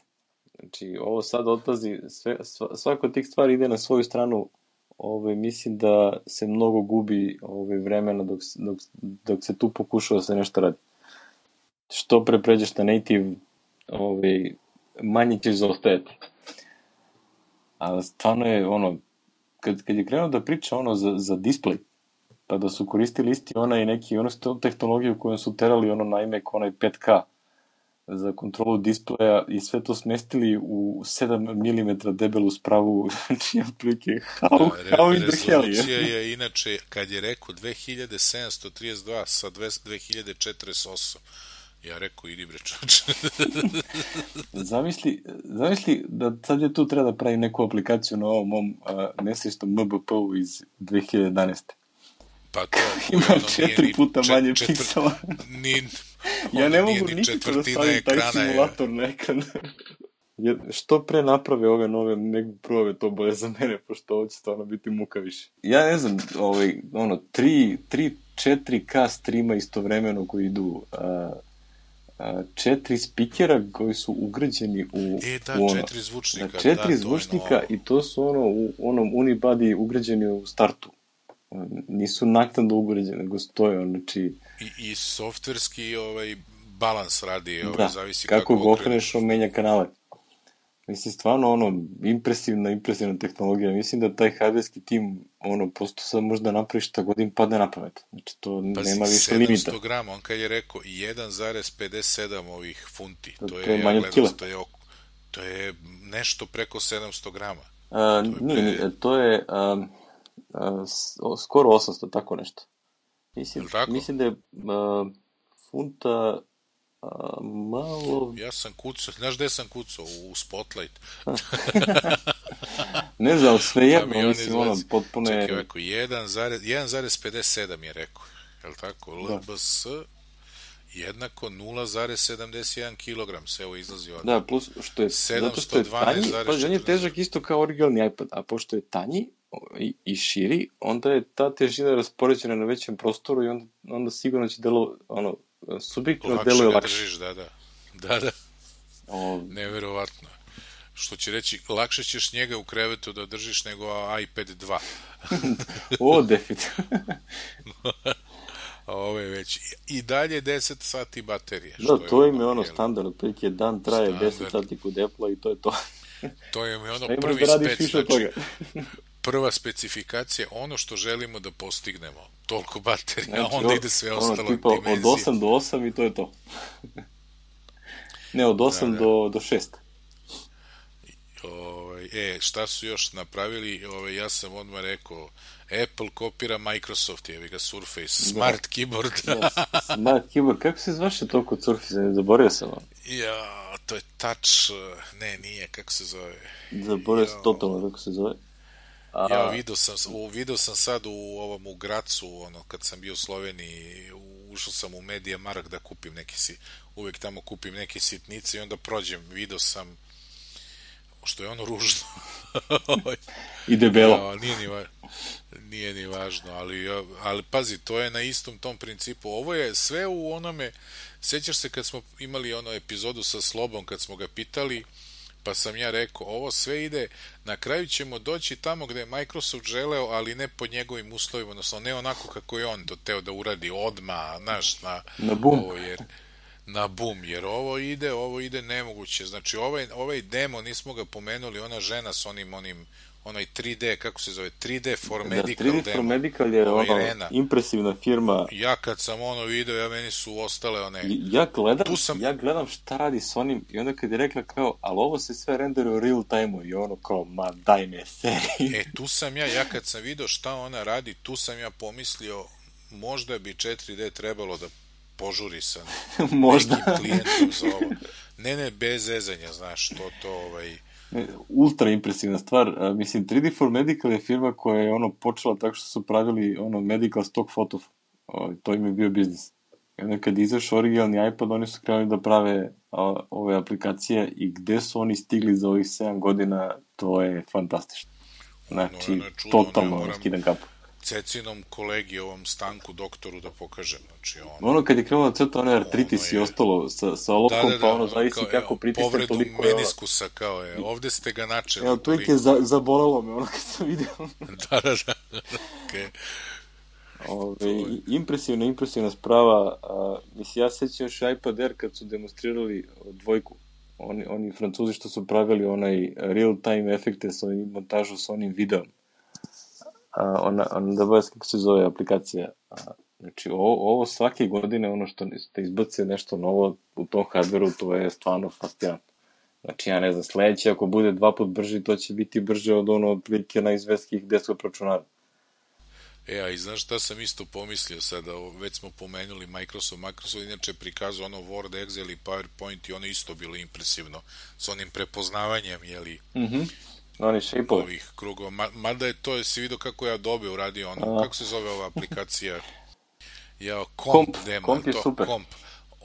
Znači, ovo sad odlazi, sve, svako od tih stvari ide na svoju stranu. Ove, mislim da se mnogo gubi ove, vremena dok, dok, dok se tu pokušava da se nešto radi. Što pre pređeš na native, ove, manje ćeš zaostajati. A stvarno je ono, kad, kad je krenuo da priča ono za, za display, pa da su koristili isti onaj neki, ono su tehnologiju kojom su terali ono na iMac, onaj pet K za kontrolu displeja i sve to smestili u sedam milimetara debelu spravu, znači otprilike how, how in the hell je. Rezolucija je inače, kad je rekao dve hiljade sedamsto trideset dva sa dve hiljade četrdeset osam, ja rekao, idi bre čoče. Zamisli, zamisli da sad je tu treba da pravi neku aplikaciju na ovom mom uh, nesrećnom M B P-u iz dve hiljade jedanaeste. Pa to... Ima ono, četiri puta čet, manje četvr, piksela. Ni, ja ne mogu nikako da stavim taj simulator na ekran. Što pre naprave ove nove MacBookove, to bolje za mene, pošto ovo će stvarno biti muka više. Ja ne znam, ovaj, ono, tri, četiri K streama istovremeno koji idu... Uh, četiri spikera koji su ugrađeni u, e, da, u ono, četiri zvučnika, da, četiri da, zvučnika no... i to su ono u onom unibody ugrađeni u startu. Nisu naknadno ugrađeni, nego stoje, znači... I, i softverski ovaj, balans radi, ovaj, da, zavisi kako... kako ga okreneš, on menja kanale. Mislim, stvarno, ono, impresivna, impresivna tehnologija. Mislim da taj hardverski tim, ono, posto sad možda napravi šta god im padne na pamet. Znači, to Pazi, nema više limita. sedamsto grama, on kad je rekao jedan zarez pedeset sedam ovih funti, to, to je, je manje ja gledam, to je, to je nešto preko sedamsto grama. A, to nije, je, pre... to je a, a, skoro osamsto, tako nešto. Mislim, mislim da je a, funta... A, malo... Ja sam kucao, znaš gde sam kucao? U Spotlight. Ne znam, sve jedno, mislim, ono, potpuno je... Čekaj, ovako, jedan zarez pedeset sedam je rekao, je li tako? Da. L B S jednako nula zarez sedamdeset jedan kilogram se evo izlazi od... Da, plus, što je, zato što je tanji, pa on je težak isto kao originalni iPad, a pošto je tanji i, i širi, onda je ta težina raspoređena na većem prostoru i onda, onda sigurno će delo, ono, subjektivno deluje lakše. Držiš, da, da. Da, da. O... Neverovatno. Što će reći, lakše ćeš njega u krevetu da držiš nego iPad dva. O, definitivno. A ove već. I dalje deset sati baterije. Da, što to im je ono standard, otprilike dan traje standard. deset sati kod Apple-a i to je to. To im je ono prvi da spec, znači, prva specifikacija, ono što želimo da postignemo. Toliko baterija, znači, onda ide sve ono, ostalo tipa, dimenzije. Od osam do osam i to je to. Ne, od osam da, da. do, do šest. Ove, e, šta su još napravili? Ove, ja sam odmah rekao, Apple kopira Microsoft, jevi ga Surface, Smart da. Keyboard. Da, Smart Keyboard, kako se zvaše to kod Surface? Ne zaboravio sam vam. Ja, to je touch, ne, nije, kako se zove? Zaboravio sam totalno kako se zove. A... Ja vidio sam, vidio sam sad u ovom u Gracu, ono, kad sam bio u Sloveniji, ušao sam u Media Markt da kupim neki si, uvek tamo kupim neke sitnice i onda prođem, vidio sam, što je ono ružno. I debelo. Ja, nije, ni va, nije ni važno, ali, ali pazi, to je na istom tom principu. Ovo je sve u onome, sećaš se kad smo imali ono epizodu sa Slobom, kad smo ga pitali, pa sam ja rekao, ovo sve ide, na kraju ćemo doći tamo gde je Microsoft želeo, ali ne pod njegovim uslovima, odnosno ne onako kako je on to teo da uradi odmah, znaš, na, na bum. Ovo, jer, na bum, jer ovo ide, ovo ide nemoguće. Znači, ovaj, ovaj demo, nismo ga pomenuli, ona žena s onim, onim, onaj tri D, kako se zove, tri D for Medical da, tri D demo. for Medical je ona impresivna firma. Ja kad sam ono video, ja meni su ostale one... Ja gledam, sam... ja gledam šta radi s onim i onda kad je rekla kao, ali ovo se sve rendere u real time-u i ono kao, ma daj me seri. E, tu sam ja, ja kad sam video šta ona radi, tu sam ja pomislio, možda bi četiri D trebalo da požuri sa možda nekim klijentom za ovo. Ne, ne, bez zezanja, znaš, to, to, ovaj... Ultra impresivna stvar, uh, mislim, tri D for Medical je firma koja je ono počela tako što su pravili ono medical stock foto, o, to im je bio biznis. I onda kad izašao originalni iPad, oni su krenuli da prave o, ove aplikacije i gde su oni stigli za ovih sedam godina, to je fantastično. Znači, no, no, čudo, totalno moram... skidan kapu. Cecinom kolegi, ovom Stanku doktoru da pokažem. Znači, ono, ono kad je krenuo da crta onaj artritis ono je, i ostalo sa, sa olovkom, da, da, pa da, ono ono, zavisi kao, kako evo, pritisne povredu toliko je ono. meniskusa, kao je, ovde ste ga načeli. Evo, to je za, zabolelo me ono kad sam vidio. Da, da, da, okej. Ove, impresivna, impresivna sprava. A, mislim, ja sećam još iPad Air kad su demonstrirali dvojku. Oni, oni Francuzi što su pravili onaj real-time efekte sa montažu sa onim videom. A, ona, ona, da baš kako se zove aplikacija. A, znači, ovo, ovo svake godine, ono što ste izbace nešto novo u tom hardveru, to je stvarno fascinantno. Znači, ja ne znam, sledeće, ako bude dva put brži, to će biti brže od ono otprilike najizvestkih desktop računara. E, a i znaš šta sam isto pomislio sada, već smo pomenuli Microsoft, Microsoft inače prikazao ono Word, Excel i PowerPoint i ono isto bilo impresivno, s onim prepoznavanjem, jeli, mhm, oni shape-ovi. Ovih krugova, Ma, mada je to, jesi vidio kako je Adobe uradio ono, a. kako se zove ova aplikacija, ja, Comp, Comp demo, Comp je to, super. Comp.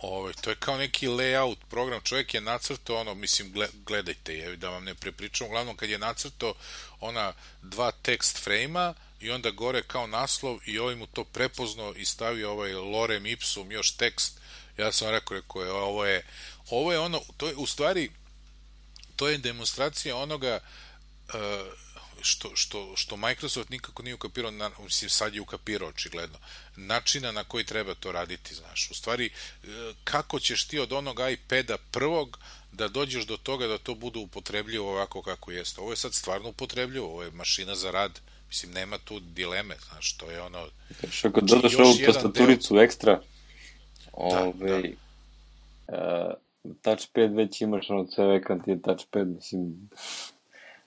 Ove, to je kao neki layout program, čovjek je nacrtao ono, mislim, gledajte je, da vam ne prepričam, uglavnom kad je nacrtao ona dva text frame-a i onda gore kao naslov i ovaj mu to prepoznao i stavio ovaj lorem ipsum još tekst, ja sam rekao, rekao je, ovo je, ovo je ono, to je u stvari, to je demonstracija onoga uh, što, što, što Microsoft nikako nije ukapirao, na, mislim sad je ukapirao očigledno, načina na koji treba to raditi, znaš, u stvari kako ćeš ti od onog iPada prvog da dođeš do toga da to bude upotrebljivo ovako kako jeste. Ovo je sad stvarno upotrebljivo, ovo je mašina za rad, mislim nema tu dileme, znaš, to je ono... Što kad dodaš ovu tastaturicu deo... ekstra, ove, da, da. Uh, touchpad već imaš, ono ceo ekran ti je touchpad, mislim...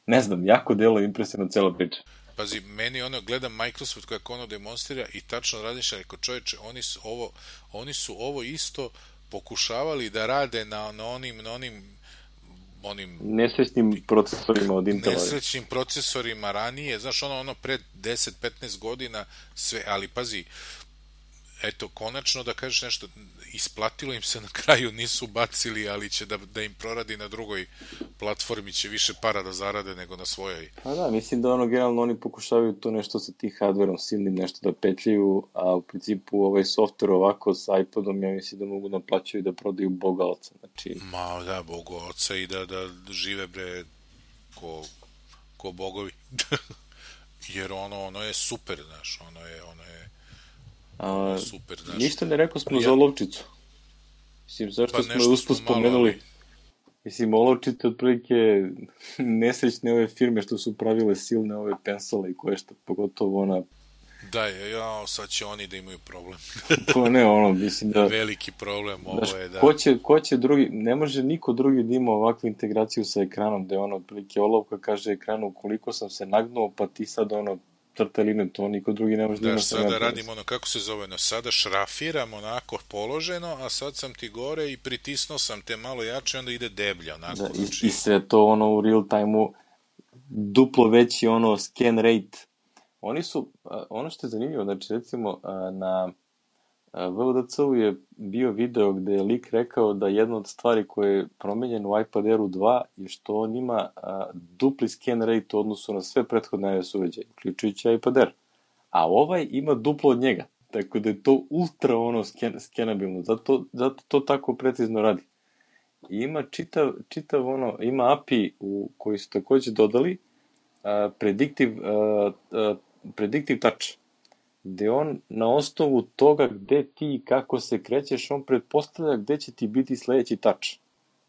Ne znam, jako delo impresivno cela priča. Pazi, meni ono, gledam Microsoft kako ono demonstrira i tačno radiš, rekao čovječe, oni su ovo, oni su ovo isto pokušavali da rade na, na onim, na onim, onim nesrećnim procesorima od Intela. Nesrećnim procesorima ranije, znaš, ono, ono pred deset do petnaest godina, sve, ali pazi, eto, konačno da kažeš nešto, isplatilo im se na kraju, nisu bacili, ali će da, da im proradi na drugoj platformi, će više para da zarade nego na svojoj. Pa da, mislim da ono, generalno oni pokušavaju to nešto sa tih hardverom silnim nešto da petljaju, a u principu ovaj software ovako sa iPodom, ja mislim da mogu naplaćaju da prodaju Boga oca, znači... Ma da, Boga oca i da, da žive bre ko, ko bogovi. Jer ono, ono je super, znaš, ono je, ono je A, super, znaš. Ništa ne rekao smo ja... za olovčicu. Mislim, zašto pa smo je usput spomenuli? Ali... Mislim, olovčice otprilike nesrećne ove firme što su pravile silne ove pensole i koje što, pogotovo ona... Da, ja, sad će oni da imaju problem. To ne, ono, mislim da... Veliki problem, ovo znaš, je da... Ko će, ko će drugi, ne može niko drugi da ima ovakvu integraciju sa ekranom, gde ono, otprilike olovka kaže ekranu koliko sam se nagnuo, pa ti sad ono, crta liniju, to niko drugi ne može da ima. Da, sada radimo ono, kako se zove, no, sada šrafiram onako položeno, a sad sam ti gore i pritisnuo sam te malo jače, onda ide deblja, onako. Da, znači... i, i sve to ono u real time-u, duplo veći ono scan rate. Oni su, ono što je zanimljivo, znači recimo na V O D C-u je bio video gde je lik rekao da jedna od stvari koje je promenjena u iPad Airu dva je što on ima a, dupli scan rate u odnosu na sve prethodne iOS uređaje, uključujući iPad Air. A ovaj ima duplo od njega, tako da je to ultra ono scan, skenabilno, zato, zato to tako precizno radi. I ima čitav, čitav ono, ima A P I u, koji su takođe dodali a, predictive, a, a, predictive touch, gde on na osnovu toga gde ti i kako se krećeš, on pretpostavlja gde će ti biti sledeći touch.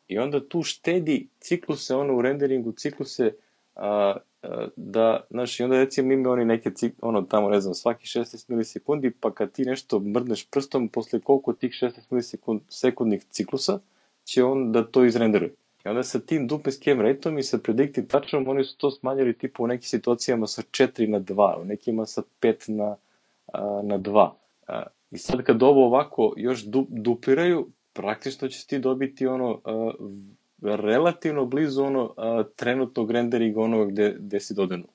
I onda tu štedi cikluse, ono u renderingu cikluse, a, a, da, znaš, i onda recimo ima oni neke cikluse, ono tamo, ne znam, svaki šesnaest milisekundi, pa kad ti nešto mrdneš prstom, posle koliko tih šesnaest milisekundnih ciklusa, će on da to izrenderuje. I onda sa tim duplim scan rate-om i sa predictive touchom, oni su to smanjili tipu u nekim situacijama sa četiri na dva, u nekima sa pet na na dva. I sad kad ovo ovako još du, dupliraju, praktično ćeš ti dobiti ono a, relativno blizu ono a, trenutnog renderinga onoga gde, gde si dodenuo.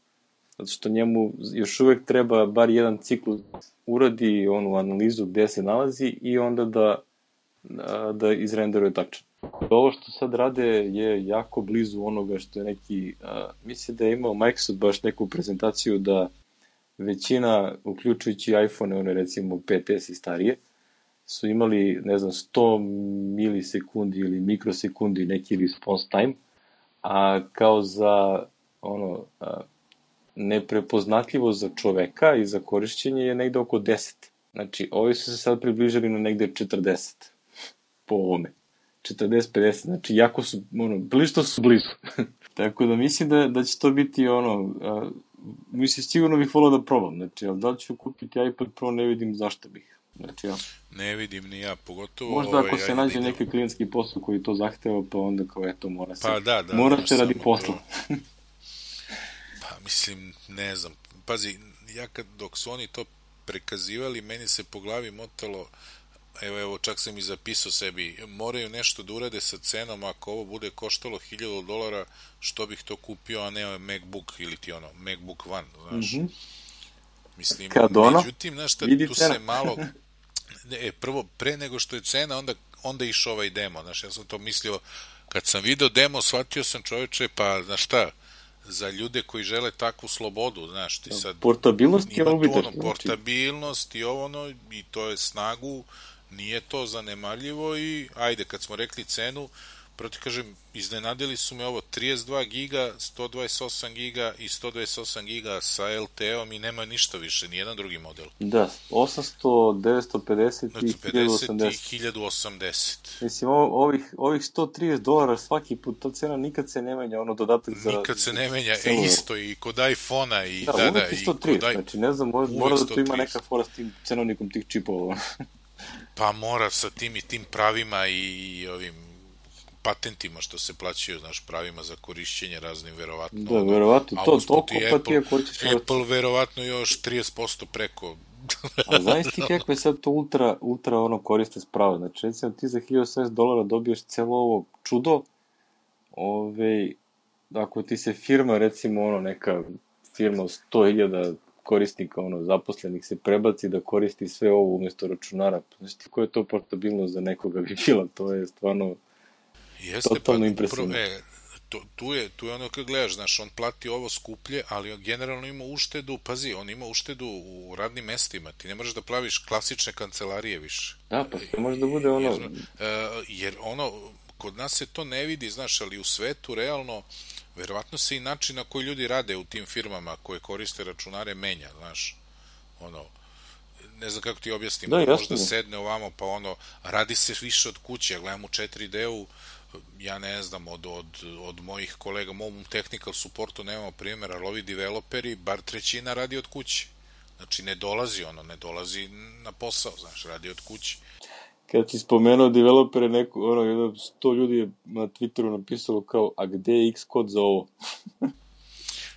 Zato što njemu još uvek treba bar jedan ciklus uradi onu analizu gde se nalazi i onda da, a, da izrenderuje tačno. Ovo što sad rade je jako blizu onoga što je neki, a, mislim da je imao Microsoft baš neku prezentaciju da većina, uključujući iPhone, one recimo pet es i starije, su imali, ne znam, sto milisekundi ili mikrosekundi neki response time, a kao za ono, a, neprepoznatljivo za čoveka i za korišćenje je negde oko deset. Znači, ovi su se sad približili na negde četrdeset po ovome. četrdeset pedeset, znači jako su, ono, blišto su blizu. Tako da mislim da, da će to biti ono, a, mislim, sigurno bih volao da probam, znači, ali da li ću kupiti iPad Pro, ne vidim zašto bih. Znači, ja. Ne vidim ni ja, pogotovo... Možda ako ovaj, se nađe idem... neki klijentski posao koji to zahteva, pa onda kao eto, mora se, pa da, da, mora se radi posla. Pa mislim, ne znam, pazi, ja kad, dok su oni to prekazivali, meni se po glavi motalo, evo, evo, čak sam i zapisao sebi, moraju nešto da urade sa cenom, ako ovo bude koštalo hiljadu dolara, što bih to kupio, a ne MacBook ili ti ono, MacBook One, znaš. Mm-hmm. Mislim, kad ono, međutim, znaš, šta, tu cena. Se malo... E, prvo, pre nego što je cena, onda, onda išao ovaj demo, znaš, ja sam to mislio, kad sam video demo, shvatio sam, čoveče, pa, znaš šta, za ljude koji žele takvu slobodu, znaš, ti sad... Portabilnost je ovo ono, portabilnost i ovo, ono, i to je snagu, nije to zanemarljivo i, ajde, kad smo rekli cenu, proti kažem, iznenadili su me ovo, trideset dva giga, sto dvadeset osam giga i sto dvadeset osam giga sa el te om i nema ništa više, nijedan drugi model. Da, osamsto, devetsto pedeset i hiljadu osamdeset. I hiljadu osamdeset. Mislim, ovih, ovih sto trideset dolara svaki put, ta cena nikad se ne menja, ono dodatak za... Nikad se ne menja, e, isto i kod iPhone-a i da, da, da, i sto trideset, i kod... znači ne znam, mora, mora da tu ima neka fora s tim cenovnikom tih čipova. Pa mora sa tim i tim pravima i, i ovim patentima što se plaćaju, znaš, pravima za korišćenje raznim, verovatno. Da, verovatno, to toliko, pa ti ako hoćeš... Apple verovatno još trideset posto preko. A znaš ti kako je sad to ultra, ultra ono koriste spravo, znači recimo ti za hiljadu osamdeset dolara dobiješ celo ovo čudo, ove, ako ti se firma, recimo ono neka firma sto hiljada korisnika, ono, zaposlenih se prebaci da koristi sve ovo umjesto računara, znači ti koja je to portabilnost za nekoga bi bila, to je stvarno... Jeste, totalno pa, impresivno. E, to, tu, je, tu je ono kad gledaš, znaš, on plati ovo skuplje, ali on generalno ima uštedu, pazi, on ima uštedu u radnim mestima, ti ne možeš da plaviš klasične kancelarije više. Da, pa to može da bude ono... Jer, jer ono, kod nas se to ne vidi, znaš, ali u svetu realno, verovatno se i način na koji ljudi rade u tim firmama koje koriste računare menja, znaš, ono... ne znam kako ti objasnim, da, možda sedne ovamo, pa ono, radi se više od kuće, ja gledam u četiri de-u, ja ne znam, od, od, od mojih kolega, u mom technical supportu nemamo primjer, ali ovi developeri, bar trećina radi od kuće. Znači, ne dolazi ono, ne dolazi na posao, znaš, radi od kuće. Kad si spomenuo developere, neko, ono, jedno, sto ljudi je na Twitteru napisalo kao, a gde je Xcode za ovo?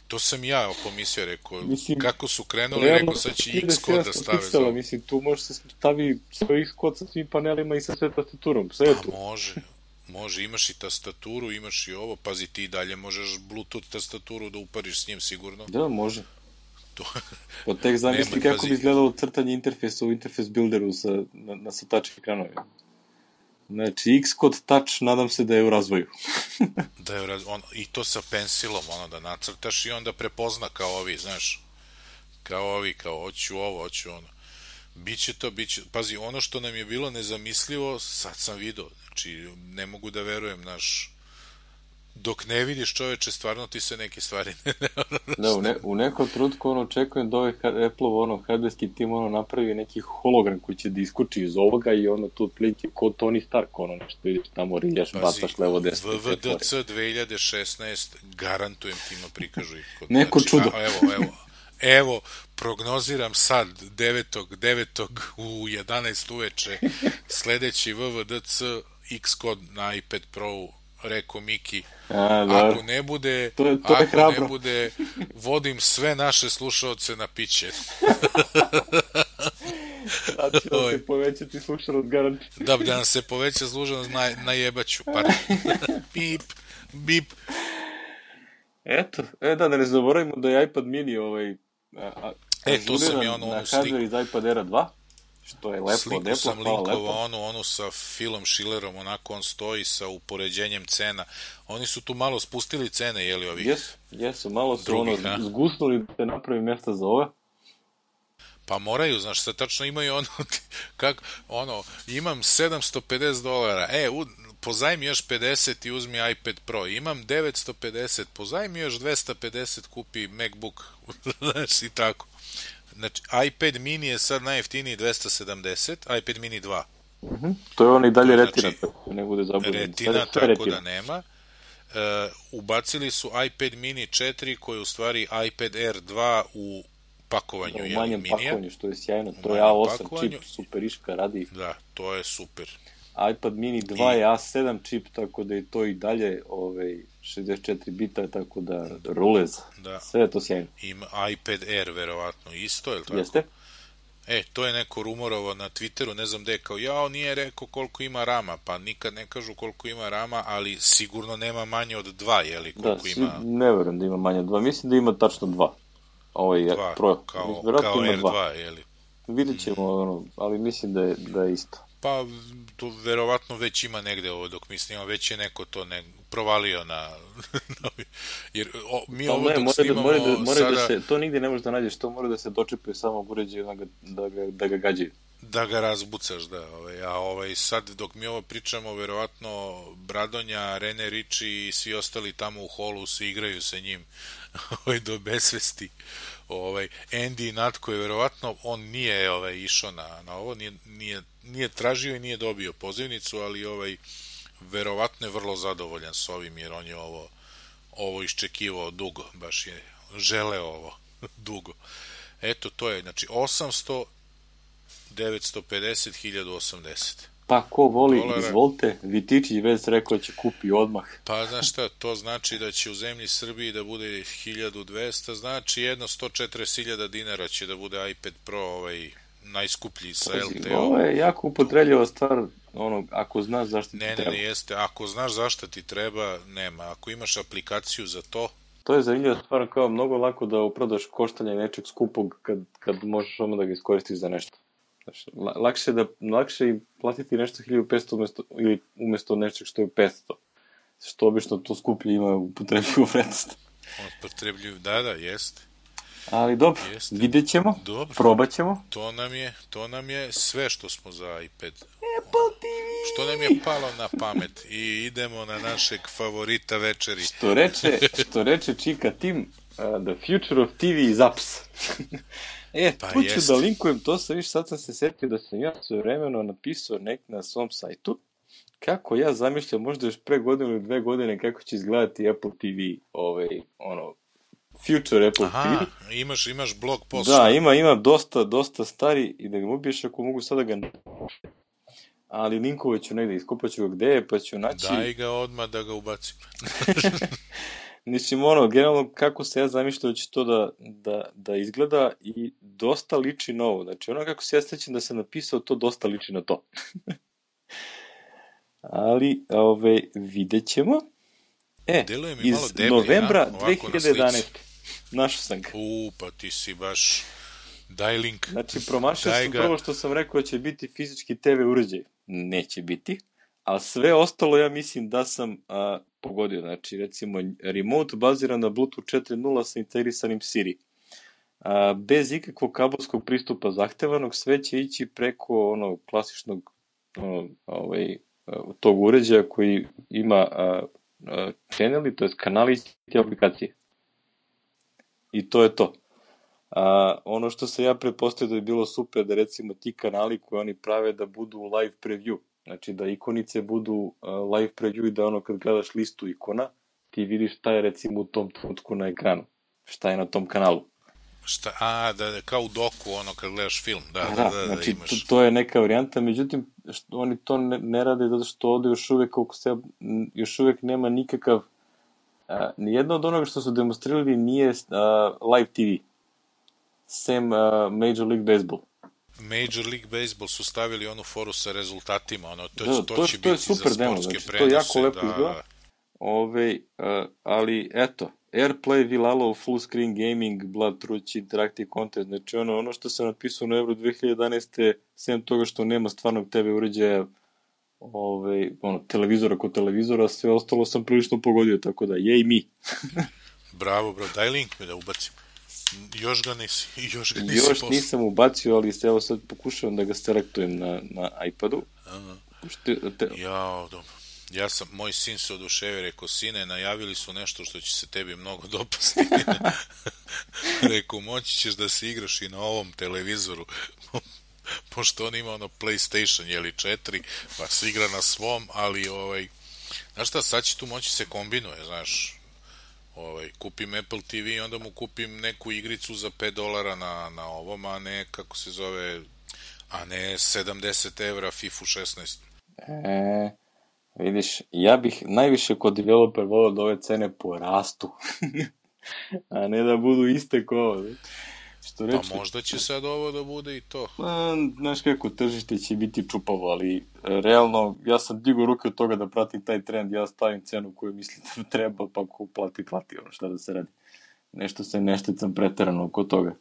To sam ja pomislio, rekao, mislim, kako su krenuli, rekao, sad će Xcode da stave za ovo. Mislim, tu može se stavi svoj Xcode sa svim panelima i sa sve tastaturom, sve je tu. Pa može, može, imaš i tastaturu, imaš i ovo, pazi, ti dalje možeš Bluetooth tastaturu da upariš s njim sigurno. Da, može. To... Pa tek zamisli kako pazi... bi izgledalo crtanje interfejsa u interfejs builderu sa, na, na sa touch ekranovima. Znači, Xcode Touch, nadam se da je u razvoju. Da je u razvoju, on, i to sa pensilom, ono, da nacrtaš i onda prepozna kao ovi, znaš, kao ovi, kao, hoću ovo, hoću ono. Biće to, biće, pazi, ono što nam je bilo nezamislivo, sad sam vidio, znači, ne mogu da verujem, naš, dok ne vidiš čoveče, stvarno ti se neke stvari ne... Da, u, ne, u nekom trutku, ono, očekujem da ovaj Apple-ov, ono, hardwareski tim, ono, napravi neki hologram koji će da iskuči iz ovoga i ono, tu otprilike ko Tony Stark, ono, nešto vidiš tamo, riljaš, bacaš levo, desno. V V D C dve hiljade šesnaest, garantujem ti ima prikažu. Kod, neko znači, čudo. A, evo, evo, evo, prognoziram sad, devetog devetog u jedanaest uveče, sledeći V V D C Xcode na iPad Pro, rekao Miki, a, ako ne bude, to je, to je ako hrabro. ne bude, vodim sve naše slušaoce na piće. Znači da se povećati slušanost garanti. Da, da nam se poveća slušanost na, na jebaću, pardon. Bip, bip. Eto, e da, da ne zaboravimo da je iPad mini ovaj, a, a, e, to sam je ono, onu sliku. iz iPad Air dva. Što je lepo, sliku lepo, sam linkovao, onu, onu sa Philom Schillerom, onako on stoji sa upoređenjem cena. Oni su tu malo spustili cene, jeli ovih? Jesu, jesu, malo su drugih, ono, zgusnuli da se napravi mjesta za ove. Pa moraju, znaš, sad tačno imaju ono, kako, ono, imam sedamsto pedeset dolara, e, u, pozajmi još pedeset i uzmi iPad Pro, imam devetsto pedeset, pozajmi još dvesta pedeset, kupi MacBook, znaš, i tako. Znači, iPad mini je sad najjeftiniji dvesta sedamdeset, iPad mini dva. Uh-huh. To je on i dalje to retina, znači, tako ne bude zabudno. Retina, tako retina. Da nema. Uh, ubacili su iPad mini četiri, koji je u stvari iPad Air dva u pakovanju, da, u manjem minija. pakovanju, što je sjajno. To je A osam čip, superiška, radi. Da, to je super. iPad mini dva I... je A sedam čip, tako da je to i dalje ovaj, šezdeset četiri bita, tako da rulez. Da. Sve je to sjajno. Ima iPad Air, verovatno, isto, je li tako? Jeste. E, to je neko rumorovo na Twitteru, ne znam gde, kao, ja, on nije rekao koliko ima rama, pa nikad ne kažu koliko ima rama, ali sigurno nema manje od dva, jeli, koliko da, ima... Da, ne verujem da ima manje od dva, mislim da ima tačno dva. Ovaj, dva, pro, kao, kao R dva, jeli. Vidjet ćemo, ono, ali mislim da je, da je isto. Pa, to verovatno već ima negde ovo dok mi snimamo, već je neko to ne, provalio na... jer o, mi pa ovo ne, dok snimamo da, mora da, mora sada... Da se, to nigde ne možeš da nađeš, to mora da se dočepuje samog uređaja da ga, da ga, da ga gađaju. Da ga razbucaš, da. Ovaj, a ovaj, sad dok mi ovo pričamo, verovatno Bradonja, Rene Riči i svi ostali tamo u holu se igraju sa njim ovaj, do besvesti. Ovaj, Andy Natko je verovatno, on nije ovaj, išao na, na ovo, nije, nije, nije tražio i nije dobio pozivnicu, ali ovaj, verovatno je vrlo zadovoljan s ovim, jer on je ovo, ovo iščekivao dugo, baš je želeo ovo dugo. Eto, to je, znači, osamsto, devetsto pedeset, hiljadu osamdeset. Pa ko voli, dolara. Izvolite, Vitičić već rekao će kupi odmah. Pa znaš šta, to znači da će u zemlji Srbiji da bude hiljadu dvesta, znači jedno sto četrdeset hiljada dinara će da bude iPad Pro, ovaj najskuplji sa L T O. Ovo je jako upotrebljiva stvar, ono, ako znaš zašto ti ne, treba. Ne, ne, jeste, ako znaš zašto ti treba, nema. Ako imaš aplikaciju za to... To je zanimljiva stvar, kao mnogo lako da uprodaš koštanje nečeg skupog kad, kad možeš ono da ga iskoristiš za nešto. Znači, lakše da lakše i platiti nešto hiljadu petsto umesto ili umesto nečeg što je petsto. Što obično to skuplje ima upotrebljivu vrednost. Upotrebljivu, da, da, jeste. Ali dobro, jeste. Vidjet ćemo, dobro. Probat ćemo. To nam je, to nam je sve što smo za iPad. Apple T V! Što nam je palo na pamet i idemo na našeg favorita večeri. Što reče, što reče Čika Tim, uh, the future of T V is apps. E, pa tu ću jest. Da linkujem, to sam viš, sad sam se setio da sam ja sve vremeno napisao nek na svom sajtu, kako ja zamišljam možda još pre godinu ili dve godine kako će izgledati Apple T V, ovaj, ono, future Apple Aha, T V. Aha, imaš, imaš blog post. Da, ima, ima dosta, dosta stari i da ga ubiješ ako mogu sada ga ne... Ali linkovat ću negde, iskupat ću ga gde je, pa ću naći... Daj ga odmah da ga ubacim. Mislim, ono, generalno kako se ja zamišljam da će to da, da, da izgleda i dosta liči na ovo. Znači, ono kako se ja sećam da sam napisao, to dosta liči na to. Ali, ove, vidjet ćemo. E, iz deblji, novembra ja? dve hiljade jedanaeste. Našao sam ga. U, pa ti si baš... Daj link. Znači, promašao sam ga... prvo što sam rekao da će biti fizički te ve uređaj. Neće biti. A sve ostalo ja mislim da sam a, pogodio. Znači, recimo, remote baziran na Bluetooth četiri nula sa integrisanim Siri. A, bez ikakvog kabelskog pristupa zahtevanog, sve će ići preko onog klasičnog ono, ovaj, tog uređaja koji ima a, a, channeli, to je kanali i aplikacije. I to je to. A, ono što se ja pretpostavio da je bilo super da recimo ti kanali koje oni prave da budu live preview. Znači da ikonice budu uh, live preview i da ono kad gledaš listu ikona, ti vidiš šta je recimo u tom trenutku na ekranu. Šta je na tom kanalu. Šta, a, da, da, kao u doku, ono kad gledaš film. Da, da, da, da, da, znači da imaš. to, to je neka varijanta, međutim što, oni to ne, ne rade zato što ovde još uvek, koliko se, još uvek nema nikakav, uh, nijedno od onoga što su demonstrirali nije uh, live T V. Sem uh, Major League Baseball. Major League Baseball su stavili onu foru sa rezultatima, ono, to, da, to, to će to biti super za demo, sportske znači, prenose. To je jako lepo da, izgleda. Ove, uh, ali eto, AirPlay will allow full screen gaming, blood truth, interactive content, znači ono, ono što sam napisao na Euro dve hiljade jedanaeste. sem toga što nema stvarnog te ve uređaja, ove, ono, televizora kod televizora, sve ostalo sam prilično pogodio, tako da, jej mi. Bravo, bro, daj link mi da ubacim. Još ga nisi, još ga nisi Još poslao. nisam ubacio, ali se evo sad pokušavam da ga selektujem na, na iPadu. Aha. Što, te... Jao, dobro. Ja sam, moj sin se oduševio, rekao, sine, najavili su nešto što će se tebi mnogo dopasti. Rekao, moći ćeš da se igraš i na ovom televizoru. Pošto on ima ono PlayStation, jeli četiri, pa se igra na svom, ali ovaj, znaš šta, sad će tu moći se kombinuje, znaš, ovaj, kupim Apple T V i onda mu kupim neku igricu za pet dolara na, na ovom, a ne, kako se zove, a ne sedamdeset evra FIFA šesnaest. E, vidiš, ja bih najviše kod developer volio da ove cene porastu, a ne da budu iste ko ovo. Što reče, pa možda će sad ovo da bude i to. Pa, znaš kako, tržište će biti čupavo, ali realno, ja sam digao ruke od toga da pratim taj trend, ja stavim cenu koju mislim da treba, pa ko plati, plati, ono šta da se radi. Nešto se nešticam preterano oko toga.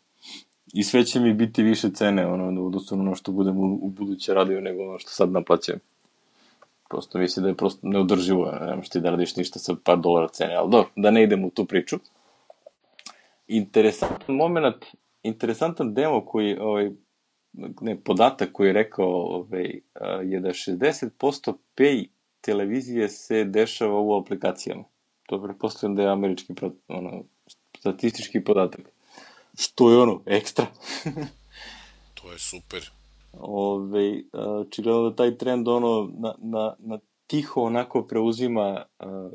I sve će mi biti više cene, ono, odnosno ono što budem u, u buduće radio nego ono što sad naplaćujem. Prosto mislim da je prosto neodrživo, ne možeš ti da radiš ništa sa par dolara cene, ali dobro, da ne idem u tu priču. Interesantan moment, interesantan demo koji, ovaj, ne, podatak koji je rekao ovaj, je da šezdeset posto pay televizije se dešava u aplikacijama. To pretpostavljam da je američki ono, statistički podatak. Što je ono, ekstra. To je super. Ove, očigledno da taj trend ono na, na, na tiho onako preuzima a,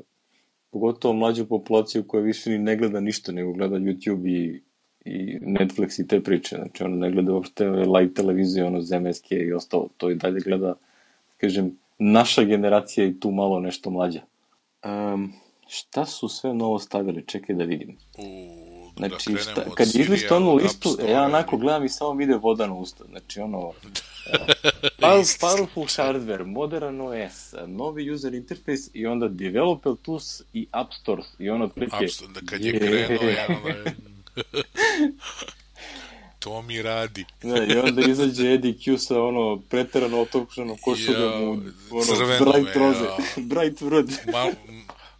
pogotovo mlađu populaciju koja više ni ne gleda ništa, nego gleda YouTube i, i Netflix i te priče. Znači ona ne gleda uopšte live televizije, ono zemaljske i ostalo. To i dalje gleda, kažem, naša generacija i tu malo nešto mlađa. Um, šta su sve novo stavili? Čekaj da vidim. U... Znači, da šta, kad izlistu onu listu, ja onako gledam i samo vide voda na usta. Znači, ono, uh, powerful hardware, modern O S, novi user interface i onda developer tools i App Store. I ono, otprilike... Da kad je krenuo, ja, ono, to mi radi. Da, i onda izađe Eddie Q sa ono, preterano otopšanom košuljom u ono, bright roze, bright red. Mal,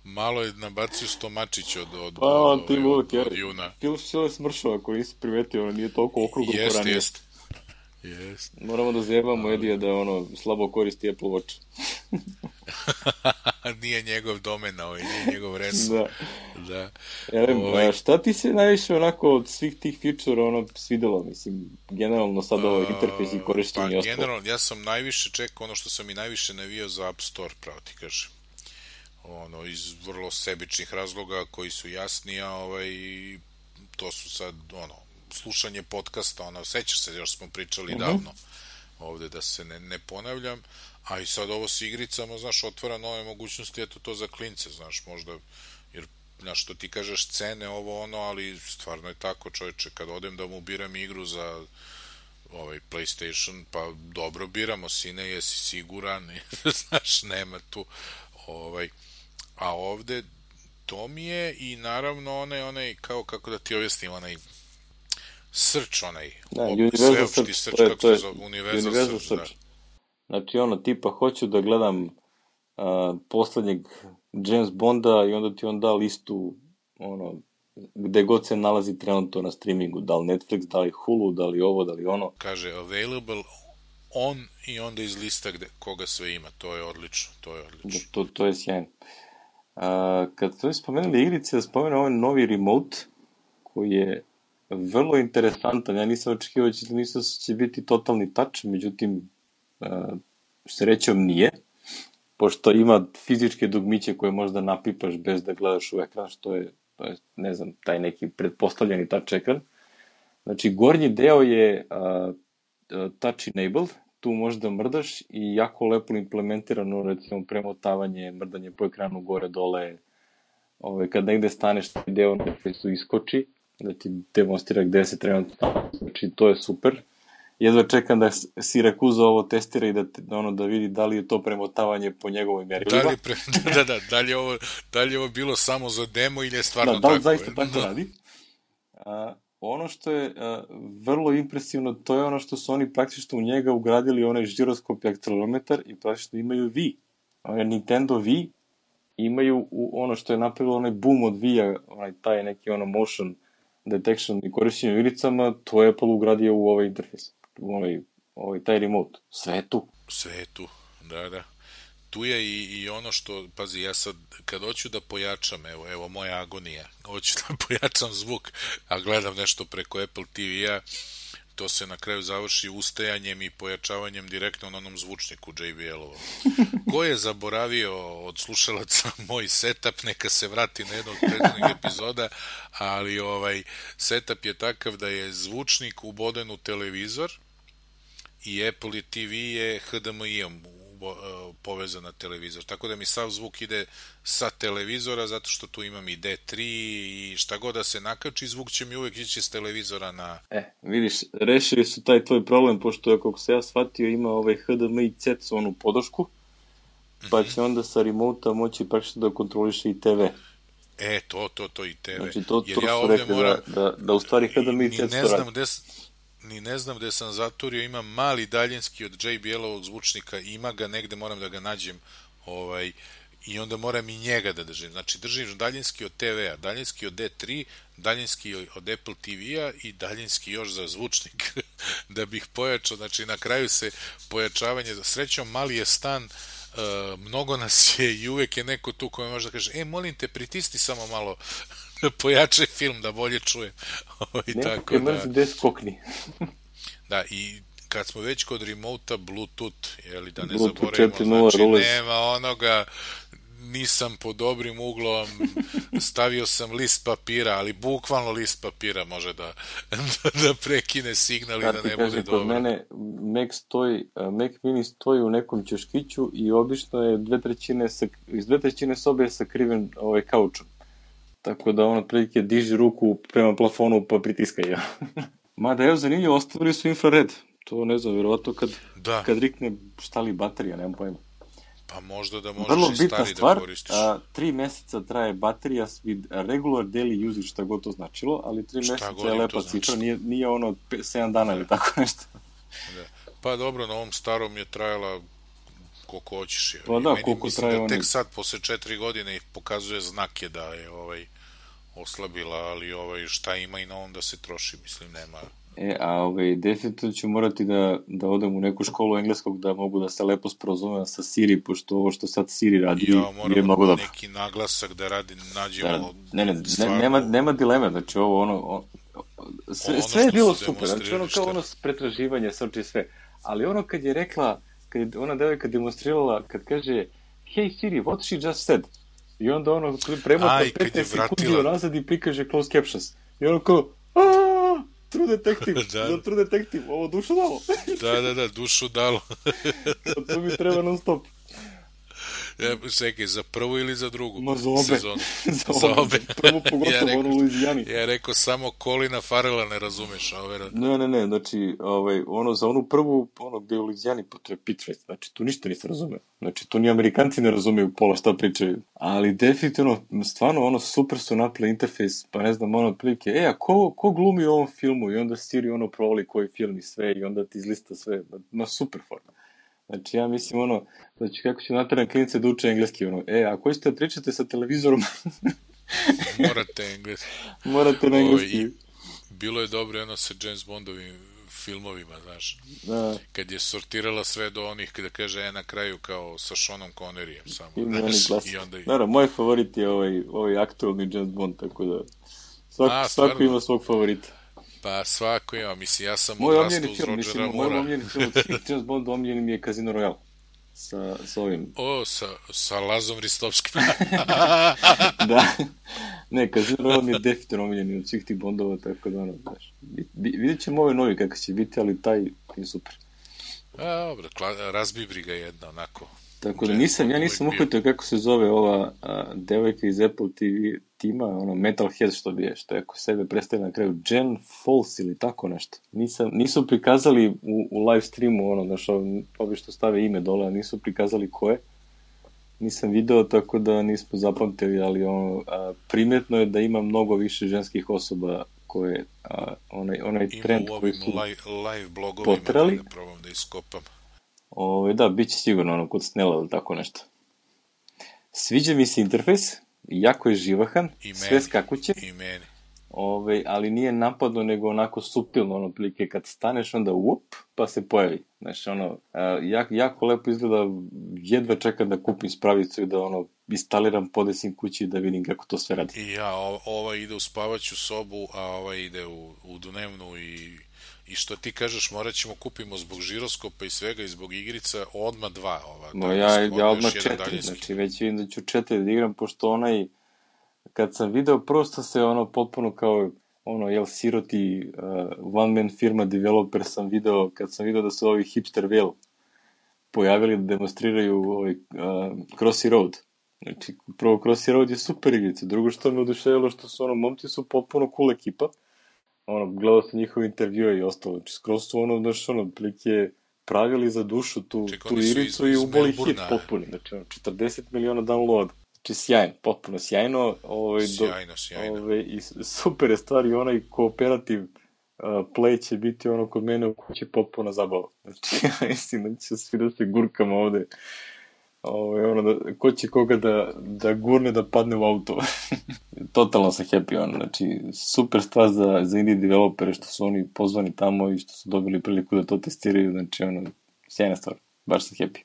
malo je nabacio Stomačić od, od, pa, on, od, od, od, od Juna. Phil Schiller je smršao, ako nisi primetio, ono nije toliko okruglo jest, poranije. Jest, jest. Moramo da zjebamo Edija da ono slabo koristi Apple Watch. Nije njegov domen, ovaj, nije njegov resor. Da. Da. Elem, ovaj... šta ti se najviše onako od svih tih feature ono svidelo, mislim, generalno sad ovo interfejs i korištenje i ostalo? Pa generalno, ja sam najviše čekao ono što sam i najviše navio za App Store, pravo ti kažem. Ono, iz vrlo sebičnih razloga koji su jasni, a ovaj, to su sad, ono, slušanje podcasta, ono, sećaš se, još smo pričali uh-huh. davno ovde, da se ne, ne ponavljam, a i sad ovo s igricama, znaš, otvara nove mogućnosti, eto to za klince, znaš, možda, jer, znaš, što ti kažeš cene, ovo, ono, ali stvarno je tako, čovječe, kad odem da mu biram igru za ovaj PlayStation, pa dobro biramo, sine, jesi siguran, znaš, nema tu, ovaj, a ovde to mi je i naravno onaj, onaj, kao kako da ti objasnim, onaj search, onaj da, op, universal search, search, kako to je, se zove, universal, universal search, search. Da. Znači ono, tipa, hoću da gledam uh, poslednjeg James Bonda i onda ti on da listu ono, gde god se nalazi trenutno na streamingu, da li Netflix, da li Hulu, da li ovo, da li ono. Kaže available on i onda iz lista gde, koga sve ima, to je odlično, to je odlično. To, to je sjajno. Uh, kad ste spomenuli igrice, da spomenu ovaj novi remote, koji je vrlo interesantan. Ja nisam očekivao da nisam će biti totalni touch, međutim, uh, srećom nije, pošto ima fizičke dugmiće koje možda napipaš bez da gledaš u ekran, što je, to je ne znam, taj neki pretpostavljeni touch ekran. Znači, gornji deo je uh, touch enabled, tu možeš da mrdaš i jako lepo implementirano, recimo, premotavanje, mrdanje po ekranu gore, dole, ove, kad negde staneš, taj deo nekaj su iskoči, da ti demonstrira gde se trenutno stavlja, znači, to je super. Jedva čekam da Sirakuza ovo testira i da, ono, da vidi da li je to premotavanje po njegovoj merilima. Da li, pre, da, da, da, li je ovo, da li je ovo bilo samo za demo ili je stvarno da, tako? Da, li zaista tako da. radi. A, ono što je a, vrlo impresivno, to je ono što su oni praktično u njega ugradili onaj žiroskop i akcelerometar i praktično imaju V. Onaj Nintendo V imaju u ono što je napravilo onaj boom od V-a, onaj taj neki ono motion detection i korišćenju igricama, to je Apple ugradio u ovaj interfejs, u ovaj, ovaj taj remote. Sve je tu. Sve je tu, da, da. Tu je i, i ono što, pazi, ja sad, kad hoću da pojačam, evo, evo moja agonija, hoću da pojačam zvuk, a gledam nešto preko Apple T V-a, to se na kraju završi ustajanjem i pojačavanjem direktno na onom zvučniku J B L-ovom. Ko je zaboravio od slušalaca moj setup, neka se vrati na jednu od prethodnih epizoda, ali ovaj setup je takav da je zvučnik uboden u televizor i Apple T V je H D M I-om povezan na televizor. Tako da mi sav zvuk ide sa televizora, zato što tu imam i D tri i šta god da se nakači, zvuk će mi uvek ići s televizora na... E, vidiš, rešili su taj tvoj problem, pošto je, kako se ja shvatio, ima ovaj H D M I C E T, onu podršku, pa će onda sa remote-a moći praktično da kontroliše i T V. E, to, to, to i T V. Znači, to, Jer to ja su ovde rekli moram... da, da, da u stvari H D M I C E T ne znam gde ni ne znam gde sam zaturio, imam mali daljinski od J B L-ovog zvučnika, ima ga negde, moram da ga nađem, ovaj, i onda moram i njega da držim. Znači, držim daljinski od T V-a, daljinski od D tri, daljinski od Apple T V-a i daljinski još za zvučnik da bih pojačao. Znači, na kraju se pojačavanje, za srećom, mali je stan, uh, mnogo nas je i uvek je neko tu koji može da kaže, e, molim te, pritisni samo malo pojačaj film da bolje čujem. Neko tako je mrzi gde skokni. Da, i kad smo već kod remota, Bluetooth, jeli, da ne Bluetooth zaboravimo, znači nema onoga, nisam pod dobrim uglom, stavio sam list papira, ali bukvalno list papira može da, da prekine signal i da ne bude dobro. Kod mene Mac, stoji, Mac Mini stoji u nekom ćoškiću i obično je dve trećine, iz dve trećine sobe je sakriven ovaj kaučom. Tako da on otprilike diži ruku prema plafonu pa pritiska ja. Mada evo zanimljivo, ostavili su infrared. To ne znam, vjerovatno kad, da. kad rikne šta li baterija, nemam pojma. Pa možda da možeš vrlo i stari stvar, da koristiš. A, tri meseca traje baterija with regular daily usage, šta god to značilo, ali tri šta meseca je lepa cifra, nije, nije ono sedam dana ili tako nešto. Da. Pa dobro, na ovom starom je trajala koliko hoćeš. Pa da, meni, koliko mislim traje da oni. tek sad, posle četiri godine, i pokazuje znake da je ovaj, oslabila, ali ovaj, šta ima i na ovom da se troši, mislim, nema... E, a ovaj, definitivno ću morati da, da odem u neku školu engleskog da mogu da se lepo sporozumem sa Siri, pošto ovo što sad Siri radi ja, moram je mnogo dobro. Neki naglasak da radi, nađemo... Da, ne, ne, ne, nema, nema dileme, znači ovo ono... O, sve, ono sve je bilo super, znači ono kao ono pretraživanje, srči sve. Ali ono kad je rekla, kad je ona devojka demonstrirala, kad kaže hey Siri, what she just said? I onda ono premota petnaest sekundi nazad i prikaže closed captions. I ono kao, aaaaa! True Detective, da. Za True Detective, ovo dušu dalo. Da, da, da, dušu dalo. To mi treba non stop. Ja, čekaj, za prvu ili za drugu Ma za obe. sezonu? za, za obe. obe. Prvo pogotovo ja rekao, ono u Luizijani. Ja rekao samo Colina Farrella ne razumeš. Ove... Ne, ne, ne, znači, ovaj, ono, za onu prvu, ono gde je u Luizijani, pa to je Pitchfest, znači, tu ništa nisi razumeo. Znači, tu ni Amerikanci ne razumiju pola šta pričaju. Ali definitivno, stvarno, ono, super su napravili interfejs, pa ne znam, ono, otprilike, e, a ko, ko glumi u ovom filmu? I onda Siri, ono, provali koji film i sve, i onda ti izlista sve. Ma, super forma. Znači, ja mislim, ono, znači, kako će nateran klinice da uče engleski, ono, e, ako ćete da pričate sa televizorom... Morate engleski. Morate na engleski. O, bilo je dobro jedno sa James Bondovim filmovima, znaš. Da. Kad je sortirala sve do onih, kada kaže, e, na kraju, kao sa Seanom Conneryjem samo. I, znaš, i onda... Naravno, moj favorit je ovaj, ovaj aktualni James Bond, tako da... Svak, A, svako ima svog favorita. Pa svako ima, mislim, ja sam odrastao uz Rodgera Moora. Moj omljeni film od James Bonda omljeni mi je Casino Royale. Sa, sa ovim. O, sa, sa Lazom Ristovskim. Da. Ne, Casino Royale mi je definitivno omljeni od svih tih Bondova, tako da ono, znaš. Vidjet ćemo ove novi kako će biti, ali taj je super. A, dobro, razbibri ga jedna, onako. Tako da nisam, ja nisam uhvatio kako se zove ova a, devojka iz Apple T V tima, ono Metalhead što bi je, što je ako sebe predstavlja na kraju, Jen Falls ili tako nešto. Nisam, nisu prikazali u, u live streamu, ono, znaš, ovi što stave ime dole, nisu prikazali ko je. Nisam video, tako da nismo zapamtili, ali ono, a, primjetno je da ima mnogo više ženskih osoba koje, a, onaj, onaj trend koji su live, live blogovima potrali. Da probam da iskopam. Ove, da, bit će sigurno ono kod Snella ili tako nešto. Sviđa mi se interfejs, jako je živahan, I sve skakuće. I meni. Ove, ali nije napadno, nego onako suptilno, ono, prilike, kad staneš, onda up, pa se pojavi. Znači, ono, jako, jako lepo izgleda, jedva čekam da kupim spravicu i da, ono, instaliram, podesim kući da vidim kako to sve radi. I ja, ova ide u spavaću sobu, a ova ide u, u dnevnu i, i što ti kažeš, morat ćemo kupimo zbog žiroskopa i svega i zbog igrica, odmah dva. Ova, no, ja, ja odmah četiri, znači već vidim da ću četiri da igram, pošto onaj, kad sam video, prosto se ono potpuno kao, ono, jel, siroti uh, one man firma developer sam video, kad sam video da su ovi hipster whale pojavili da demonstriraju ovaj, uh, Crossy Road. Znači, prvo Crossy Road je super igrica, drugo što me oduševilo što su, ono, momci su potpuno cool ekipa, ono, gledao sam njihove intervjue i ostalo, znači, skroz su, ono, znaš, ono, prilike pravili za dušu tu, tu igricu i uboli hit potpuni, znači, ono, četrdeset miliona downloada. Znači, sjajno, potpuno sjajno. Ovaj, sjajno, sjajno. Ovaj, i super je stvar i onaj kooperativ uh, play će biti ono kod mene u kući potpuno zabava. Znači, ja mislim da će svi da se gurkamo ovde. Ovaj, ono da, ko će koga da, da gurne da padne u auto. Totalno sam happy, ono. Znači, super stvar za, za indie developere što su oni pozvani tamo i što su dobili priliku da to testiraju. Znači, ono, sjajna stvar. Baš sam happy.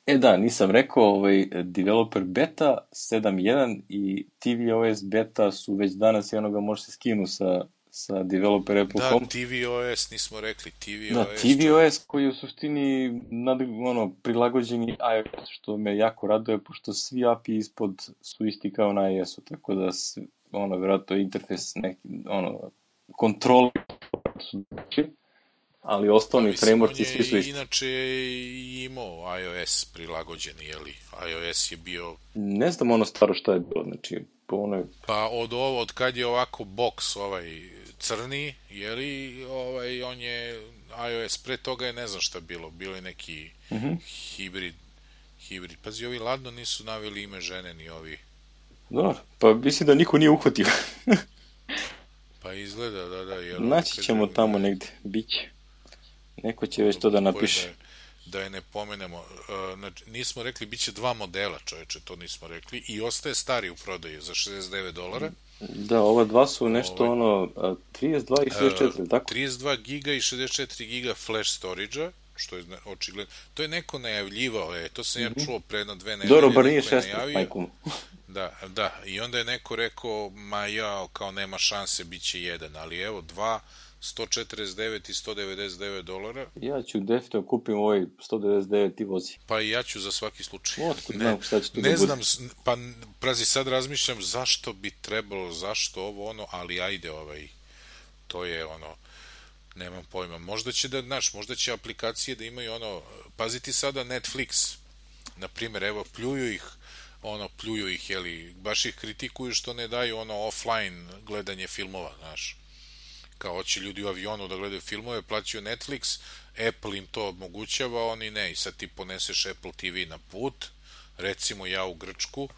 E da, nisam rekao, ovaj, developer beta sedam jedan i tvOS beta su već danas i onoga može se skinu sa, sa developer Apple da, Home. Da, tvOS, nismo rekli, tvOS. Da, tvOS čo... koji je u suštini nad, ono, prilagođeni iOS, što me jako raduje, pošto svi A P I ispod su isti kao na iOS-u, tako da, ono, vjerojatno interfejs, neki, ono, kontrol su znači, ali osnovni pa, framework i svi su isti. Inače je imao iOS prilagođeni, jeli? iOS je bio... Ne znam ono staro šta je bilo, znači, po onoj... Pa od ovo, od kad je ovako box ovaj crni, jeli, ovaj, on je iOS, pre toga je ne znam šta bilo, bilo je neki mm-hmm. hibrid, hibrid. Pazi, ovi ladno nisu naveli ime žene ni ovi. Dobro, pa mislim da niko nije uhvatio. Pa izgleda, da, da. Jer naći ćemo je, tamo negde, bit će. Neko će već to da napiše. Da, da je ne pomenemo. Uh, nismo rekli, bit će dva modela, čoveče, to nismo rekli. I ostaje stari u prodaju za šezdeset devet dolara. Da, ova dva su nešto ovaj, ono, trideset dva i šezdeset četiri, uh, tako? trideset dva giga i šezdeset četiri giga flash storage-a, što je očigledno. To je neko najavljivao, je, to sam mm-hmm. ja čuo pre jedno dve nedelje. Dobro, bar nije šesnaest, majkom. Da, da, i onda je neko rekao, ma ja, kao nema šanse, bit će jedan, ali evo, dva, sto četrdeset devet i sto devedeset devet dolara. Ja ću definitivno kupim ovaj sto devedeset devet i vozi. Pa i ja ću za svaki slučaj. Otkud ne, znam šta će to ne da znam, pa prazi, sad razmišljam zašto bi trebalo, zašto ovo ono, ali ajde ovaj, to je ono, nemam pojma. Možda će da, znaš, možda će aplikacije da imaju ono, paziti sada Netflix, na primjer, evo, pljuju ih, ono, pljuju ih, jeli, baš ih kritikuju što ne daju ono offline gledanje filmova, znaš. Kao hoće ljudi u avionu da gledaju filmove, plaćaju Netflix, Apple im to omogućava, oni ne, i sad ti poneseš Apple T V na put, recimo ja u Grčku,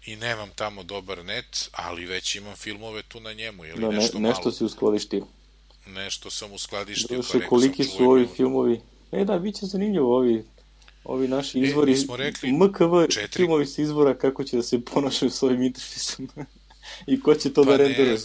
i nemam tamo dobar net, ali već imam filmove tu na njemu, jeli, da, ne, nešto malo. Nešto si uskladištio. Nešto sam uskladištio. Došli, pa koliki su ovi mi... filmovi? E da, bit će zanimljivo ovi, ovi naši izvori, e, rekli, M K V četiri filmovi sa izvora, kako će da se ponašaju s ovim interfejsom i ko će to pa da renderuje.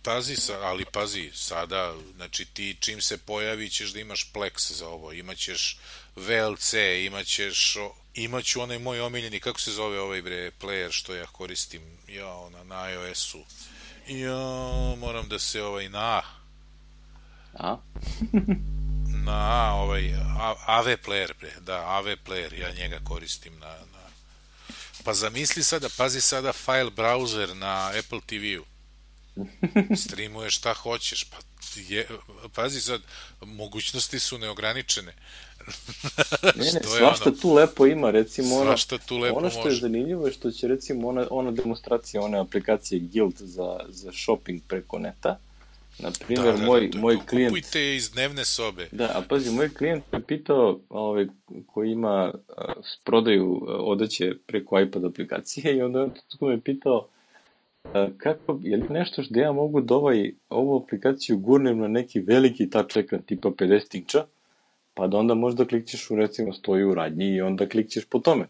Pazi, ali pazi, sada, znači ti čim se pojavi ćeš da imaš Plex za ovo, imaćeš V L C, imaćeš, imaću onaj moj omiljeni, kako se zove ovaj bre player što ja koristim, ja, ona, na iOS-u, ja, moram da se ovaj, na A? na ovaj, A V player, bre, da, A V player, ja njega koristim na, na, pa zamisli sada, pazi sada file browser na Apple T V-u, streamuješ šta hoćeš, pa je, pazi sad, mogućnosti su neograničene. Ne, ne, svašta ono, tu lepo ima, recimo ono, tu lepo ono što može. je zanimljivo je što će recimo ona, ona demonstracija, one aplikacije Guild za, za shopping preko neta, na primjer, da, da, moj, da, moj da, klijent... Kupujte iz dnevne sobe. Da, a pazi, moj klijent me pitao, ovaj, koji ima uh, prodaju uh, odeće preko iPad aplikacije i onda me pitao kako, je li nešto što ja mogu da ovaj, ovu aplikaciju gurnem na neki veliki touch ekran tipa pedeset inča, pa da onda možda klikćeš u recimo stoji u radnji i onda klikćeš po tome.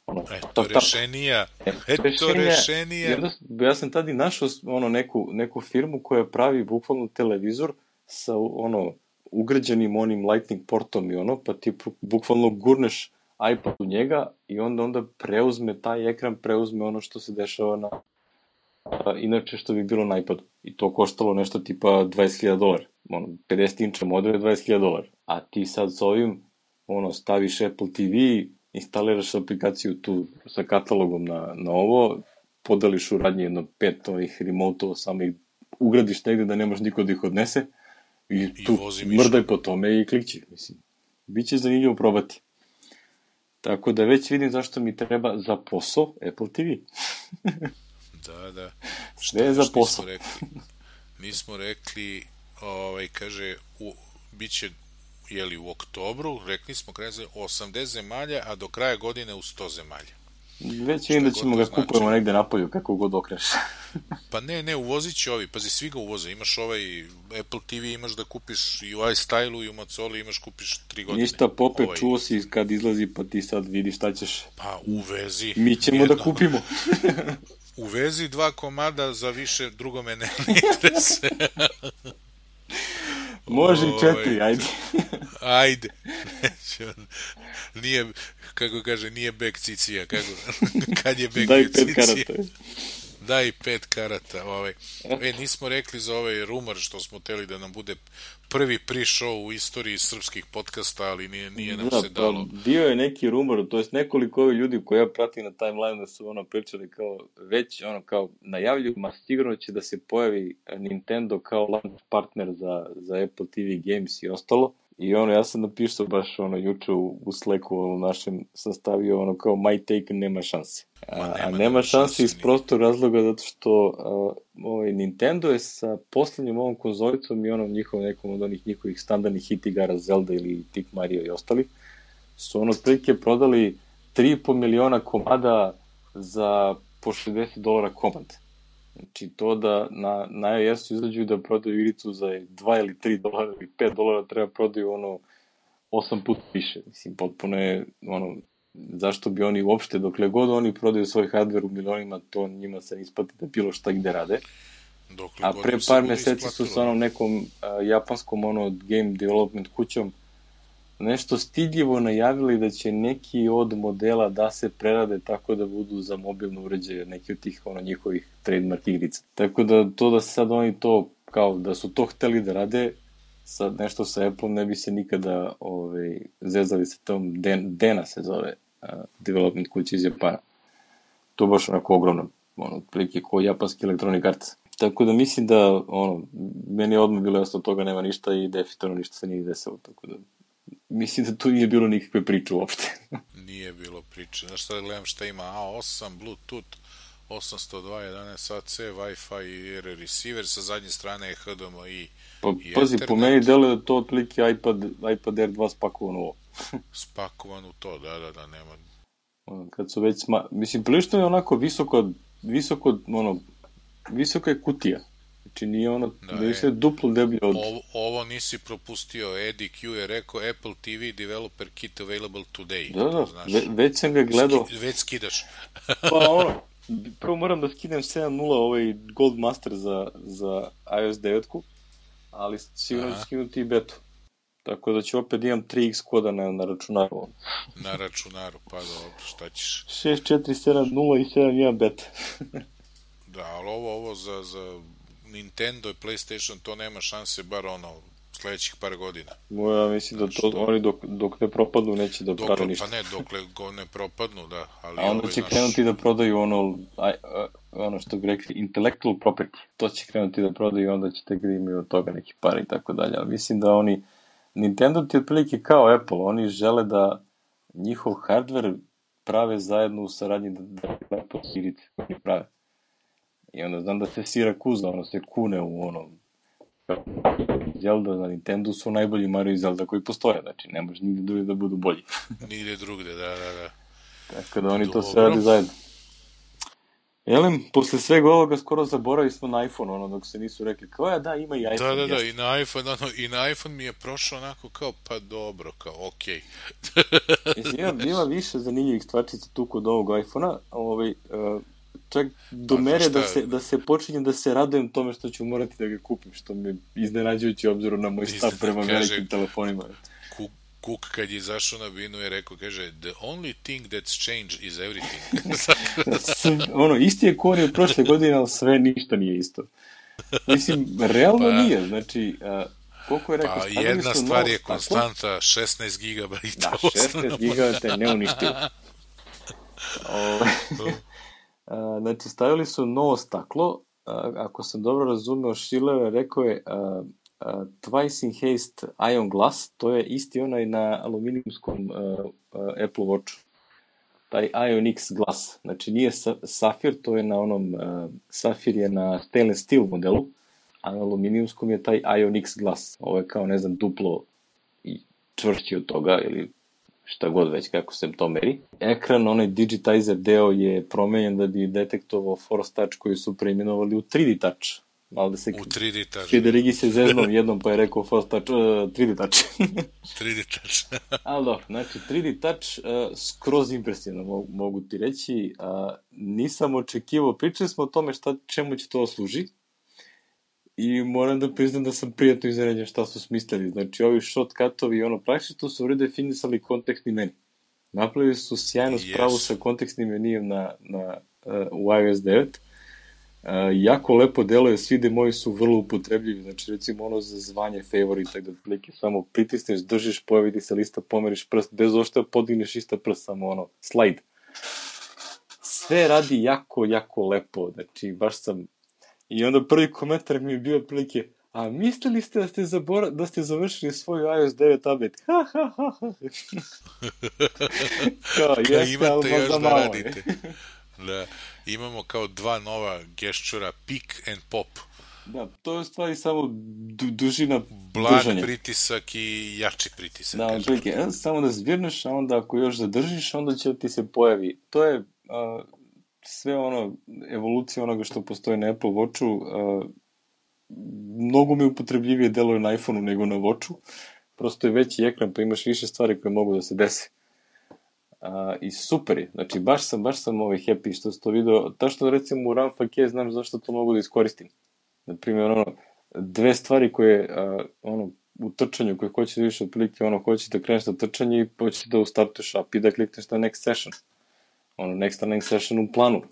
Ono, Eto tap, tap. rešenija, E, eto rešenja, rešenija. ja, ja sam tad i našao ono, neku, neku firmu koja pravi bukvalno televizor sa ono, ugrađenim onim lightning portom i ono, pa ti bukvalno gurneš iPad u njega i onda onda preuzme taj ekran, preuzme ono što se dešava na a, inače što bi bilo na iPadu. I to koštalo nešto tipa dvadeset hiljada dolara. Ono, pedeset inča model je dvadeset hiljada dolara. A ti sad s ovim, ono, staviš Apple T V, instaliraš aplikaciju tu sa katalogom na, na ovo, podeliš u radnji jedno pet ovih remote-ova, samo ih ugradiš negde da nemaš niko da ih odnese i, I tu mrdaj po tome i klikći. Mislim, biće zanimljivo probati. Tako da već vidim zašto mi treba za posao Apple T V. Da, da. Sve je za posao. Nismo rekli, nismo rekli ovaj, kaže, u, bit će jeli, u oktobru, rekli smo kraj za osamdeset zemalja, a do kraja godine u sto zemalja. Već vidim da ćemo ga znači... kupujemo negde napolju, kako god okreš. Pa ne, ne, uvozit će ovi, pazi, svi ga uvoze, imaš ovaj Apple T V, imaš da kupiš i u iStyle-u i u Macoli, imaš kupiš tri godine. Ništa, Pope, ovaj... čuo si kad izlazi, pa ti sad vidiš šta ćeš. Pa uvezi. Mi ćemo jedno. Da kupimo. Uvezi dva komada, za više drugo me ne interese. Može i četiri, ajde. Ajde. Nije, kako kaže, nije bek cicija. Kako, kad je bek Daj cicija? Pet karata. Daj pet karata. Ovaj. E, nismo rekli za ovaj rumor što smo teli da nam bude prvi pre-show u istoriji srpskih podcasta, ali nije, nije nam da, se dalo. Pa, bio je neki rumor, to jest nekoliko ovih ljudi koje ja pratim na timeline da su ono pričali kao, već ono kao najavljuju, ma sigurno će da se pojavi Nintendo kao launch partner za, za Apple T V Games i ostalo. I ono, ja sam napisao baš ono juče u, u Slacku u našem sastavio ono kao my take nema šanse. A, nema, a nema, nema šanse iz prostog razloga zato što a, ovaj, Nintendo je sa poslednjom ovom konzolicom i onom njihovom nekom od onih njihovih standardnih hit igara Zelda ili tip Mario i ostali su ono otprilike prodali tri i po miliona komada za po šezdeset dolara komad. Znači to da na, na iOS-u izađu da prodaju igricu za dva ili tri dolara ili pet dolara treba prodaju ono osam puta više. Mislim, potpuno je ono, zašto bi oni uopšte, dokle god oni prodaju svoj hardware u milionima, to njima se isplati da bilo šta gde rade. Dokle a pre par meseci su sa onom nekom a, japanskom ono game development kućom nešto stidljivo najavili da će neki od modela da se prerade tako da budu za mobilno uređaje, neki od tih ono njihovih trademark igrica. Tako da to da sad oni to, kao da su to hteli da rade, sad nešto sa Apple ne bi se nikada ovaj, zezali sa tom, Den, Dena se zove, uh, development kuća iz Japana. To baš onako ogromno, ono, prilike ko japanski Electronic Arts. Tako da mislim da, ono, meni je odmah bilo jasno od toga nema ništa i definitivno ništa se nije desilo, tako da mislim da tu nije bilo nikakve priče uopšte. Nije bilo priče. Znaš šta da gledam šta ima? A osam, Bluetooth, osamsto dva jedanaest A C, Wi-Fi i R receiver, sa zadnje strane je H D M I pa, i pazi, Ethernet. Po meni deluje da to otprilike iPad, iPad Air dva spakovan ovo. Spakovan u to, da, da, da, nema. Kad su već, sma... mislim, prilično je onako visoko, visoko, ono, visoka je kutija. Znači nije ono, da, da je sve duplo deblje od... Ovo, ovo nisi propustio, Eddie Q je rekao Apple T V Developer Kit available today. Da, da, znaš, ve, već sam ga gledao. Ski, već skidaš. Pa ono, prvo moram da skinem sedam nula ovaj Gold Master za, za iOS devet, ali sigurno ću skinuti i betu. Tako da ću opet imam tri iks koda na, na računaru. Na računaru, pa dobro, šta ćeš? šest četiri sedam nula i sedam jedan beta. Da, ali ovo, ovo za, za Nintendo i PlayStation to nema šanse, bar ono, sledećih par godina. Ja mislim da to što... oni dok, dok ne propadnu neće da prave ništa. Pa ne, dokle go ne propadnu, da. Ali a onda ovaj, će naš... krenuti da prodaju ono, a, a, ono što bi rekli, intellectual property. To će krenuti da prodaju i onda će tek da imaju od toga neki par i tako dalje. Ali mislim da oni, Nintendo ti otprilike kao Apple, oni žele da njihov hardware prave zajedno u saradnji da, da Apple igrice koji prave. I onda znam da se Sirakuza, ono se kune u ono Zelda na Nintendo su najbolji Mario i Zelda koji postoje, znači ne može nigde drugde da budu bolji. Nigde drugde, da, da, da. Tako da oni dobro. To sve radi zajedno. Jelem, posle svega ovoga skoro zaboravili smo na iPhone, ono, dok se nisu rekli, kao ja, da, ima i Da, iPhone, da, da, jeste. i na iPhone, ono, i na iPhone mi je prošao onako kao, pa dobro, kao, okej. Mislim, ima, ima više zanimljivih stvarčica tu kod ovog iPhone-a, ovaj, uh, čak do Pa, znaš mere da šta, se, da se počinjem da se radujem tome što ću morati da ga kupim, što me iznenađujući obzirom na moj stav izne- prema kaže, velikim telefonima. Cook, Cook kad je izašao na binu je rekao, kaže, the only thing that's changed is everything. Sve- ono, isti je ko on je od prošle godine, ali sve ništa nije isto. Mislim, realno Pa, nije, znači, uh, koliko je rekao, pa stavili jedna su stvar novo je staklo. konstanta, šesnaest gigabajta Da, osnovno. šesnaest gigabajta je neuništivo. O, a, znači, stavili su novo staklo. A, ako sam dobro razumeo, Schiller je rekao je a, a, twice enhanced ion glass, to je isti onaj na aluminijumskom a, a, Apple Watchu. Taj Ion X glass. Znači, nije sa, safir, to je na onom, a, safir je na stainless steel modelu, a na aluminijumskom je taj Ion X glass. Ovo je kao, ne znam, duplo i čvršći od toga, ili šta god već, kako se to meri. Ekran, onaj digitizer deo je promenjen da bi detektovao Force Touch koji su preimenovali u tri D Touch. Malo da se... U tri D touch. Federigi se zeznom jednom pa je rekao Force Touch, uh, tri D Touch. tri D touch. Ali dobro, znači tri D Touch uh, skroz impresivno, mogu, mogu ti reći. Uh, nisam očekivao, pričali smo o tome šta, čemu će to služi. I moram da priznam da sam prijatno iznenađen šta su smislili. Znači, ovi shortcutovi, ono, praktično su redefinisali kontekstni meni. Napravili su sjajnu spravu Yes. sa kontekstnim menijem na, na, uh, u iOS devet. Uh, jako lepo deluje, svi demoji su vrlo upotrebljivi. Znači, recimo ono za zvanje favorita, da otprilike samo pritisneš, držiš, pojavi ti se lista, pomeriš prst, bez ošta podigneš ista prst, samo ono, slide. Sve radi jako, jako lepo. Znači, baš sam... I onda prvi komentar mi je bio otprilike, a mislili ste da ste, zabora, da ste završili svoju iOS devet update? Ha, ha, ha, ha. Kao, Ka jeste, ali imate još možda da malo. radite. Da, imamo kao dva nova gešćura, pick and pop. Da, to je u stvari samo du, dužina Blag držanja. pritisak i jači pritisak. Da, kažem. otprilike, e, samo da zvirneš, a onda ako još zadržiš, onda će ti se pojavi. To je a, sve ono, evolucija onoga što postoji na Apple Watchu, a, mnogo mi upotrebljivije deluje na iPhoneu nego na Watchu. Prosto je veći ekran, pa imaš više stvari koje mogu da se dese. A, I super je. Znači, baš sam, baš sam ovaj happy što sam to video. Ta što recimo u Ramfake znam zašto to mogu da iskoristim. Naprimjer, ono, dve stvari koje, a, ono, u trčanju koje hoćeš da vidiš otprilike, ono, hoćeš da kreneš na trčanje i hoćeš da ustartuješ app i da klikneš na next session. Ono, next next session u planu.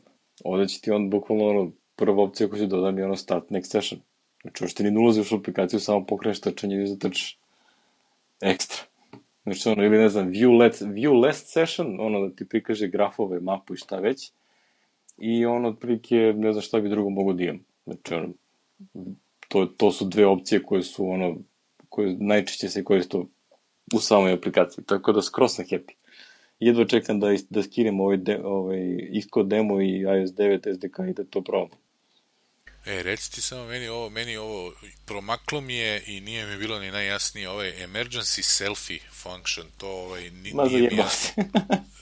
Ovde će ti on bukvalno, ono, prva opcija koja će dodam je ono start next session. Znači, uopšte ni ne ulaziš u aplikaciju, samo pokreneš trčanje i zatrčiš. Ekstra. Znači, ono, ili ne znam, view, let, view last session, ono, da ti prikaže grafove, mapu i šta već. I ono, otprilike, ne znam šta bi drugo mogu da imam. Znači, ono, to, to su dve opcije koje su, ono, koje najčešće se koriste u samoj aplikaciji. Tako da skroz sam happy. Jedva čekam da, da skinem ovaj, de, ovaj Xcode demo i iOS devet S D K i da to probam. E, reci ti samo meni ovo, meni ovo promaklo mi je i nije mi bilo ni najjasnije, ovaj emergency selfie function, to ovaj, ni, Ma nije mi zajebao jasno.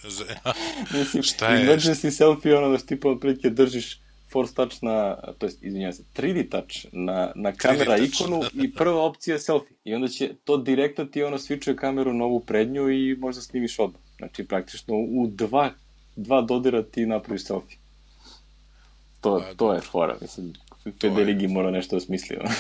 se. Za- Mislim, Šta je? emergency selfie je ono da ti pa otprilike držiš Force Touch na, to jest, izvinjam se, tri D Touch na, na kamera tri D touch. ikonu i prva opcija je selfie. I onda će to direktno ti ono switchuje kameru na ovu prednju i možda snimiš odmah. Znači, praktično u dva, dva dodira ti napraviš selfie. To, Pa, to je fora, mislim, Federigi mora nešto da smisli. ono.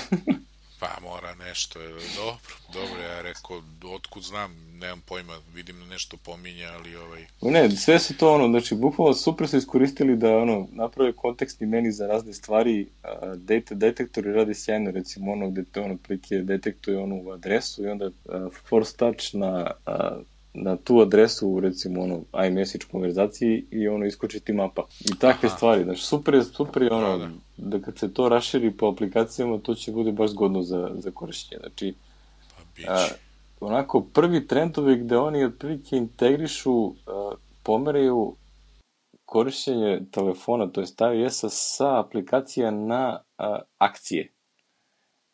Pa mora nešto, je, dobro, dobro, ja rekao, otkud znam, nemam pojma, vidim da nešto pominja, ali ovaj... Ne, sve su to ono, znači, bukvalno super su iskoristili da ono, naprave kontekstni meni za razne stvari, a, data detektori radi sjajno, recimo ono gde te ono prilike detektuje onu adresu i onda a, force touch na, a, na tu adresu, recimo ono iMessage konverzaciji i ono iskoči ti mapa. I takve Aha. stvari, znači super je, super je ono, Da, da. da kad se to raširi po aplikacijama, to će bude baš zgodno za, za korišćenje. Znači, Pa biće. a, onako prvi trendovi gde oni otprilike integrišu, a, pomeraju korišćenje telefona, to je iOS-a sa aplikacija na a, akcije.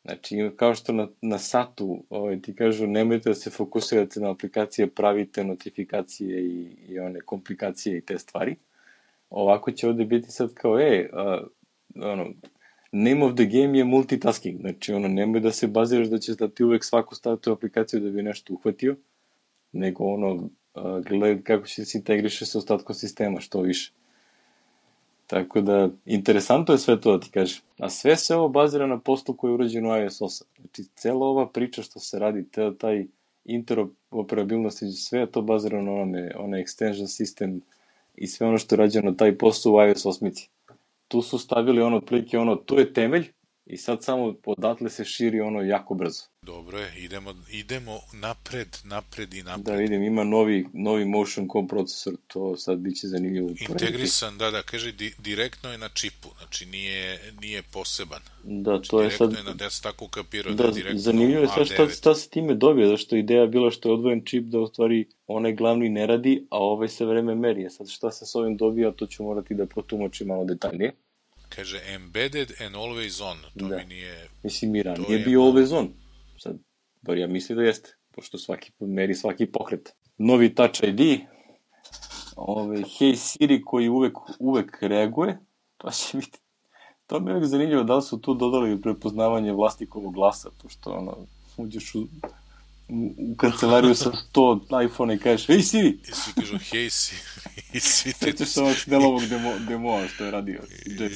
Znači, kao što na, na satu ovaj, ti kažu nemojte da se fokusirate na aplikacije, pravite notifikacije i, i one komplikacije i te stvari. ovako će ovde biti sad kao, e, uh, ono, name of the game je multitasking, znači ono, nemoj da se baziraš da ćeš da ti uvek svaku staviti u aplikaciju da bi nešto uhvatio, nego ono, uh, gledaj kako će se integriše sa ostatkom sistema, što više. Tako da, interesantno je sve to da ti kažem. A sve se ovo bazira na poslu koji je urađen u iOS osam. Znači, cela ova priča što se radi, te, taj interoperabilnost, sve je to bazirano na onome, onaj extension system i sve ono što je rađeno taj posao u iOS osam. Tu su stavili ono plike, ono, tu je temelj i sad samo odatle se širi ono jako brzo. Dobro je, idemo, idemo napred, napred i napred. Da vidim, ima novi, novi Motion Core procesor, to sad biće zanimljivo. Integrisan, da, da, kaže, di, direktno je na čipu, znači nije, nije poseban. Da, znači, to je sad... Direktno je na, ja sam tako kapirao da, da je direktno zanimljivo je sad šta, šta se time dobije, zašto ideja je bila što je odvojen čip da u stvari onaj glavni ne radi, a ovaj se vreme meri. Sad šta se s ovim dobija, to ću morati da protumačim malo detaljnije. Kaže, embedded and always on, to da. mi nije... Mislim, mi ranije je bio malo... always on. Sad, bar ja mislim da jeste, pošto svaki meri svaki pokret. Novi Touch I D, ove, Hey Siri koji uvek, uvek reaguje, to će biti, to mi je uvek zanimljivo da li su tu dodali prepoznavanje vlasnikovog glasa, pošto ono, uđeš u, u, u kancelariju sa sto iPhone i kažeš, Hey Siri! I svi kažu, Hey Siri! I svi te... Sveće što ovog Snelovog demo, demoa što je radio. I, da,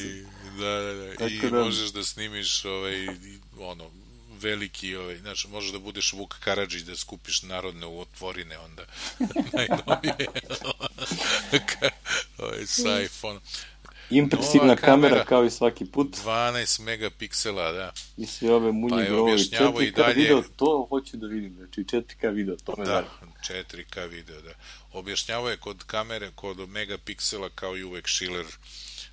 da, da, i da... možeš da snimiš ovaj, ono, veliki, ovaj, znači, možeš da budeš Vuk Karadžić, da skupiš narodne u otvorine, onda najnovije ovaj, sa iPhone. Impresivna kamera, kamera kao i svaki put. dvanaest megapiksela, da. I sve ove munje pa grovi. četiri K dalje... video, to hoću da vidim. Znači četiri K video, to me da, zanima. četiri K video, da. Objašnjavao je kod kamere, kod megapiksela, kao i uvek Schiller,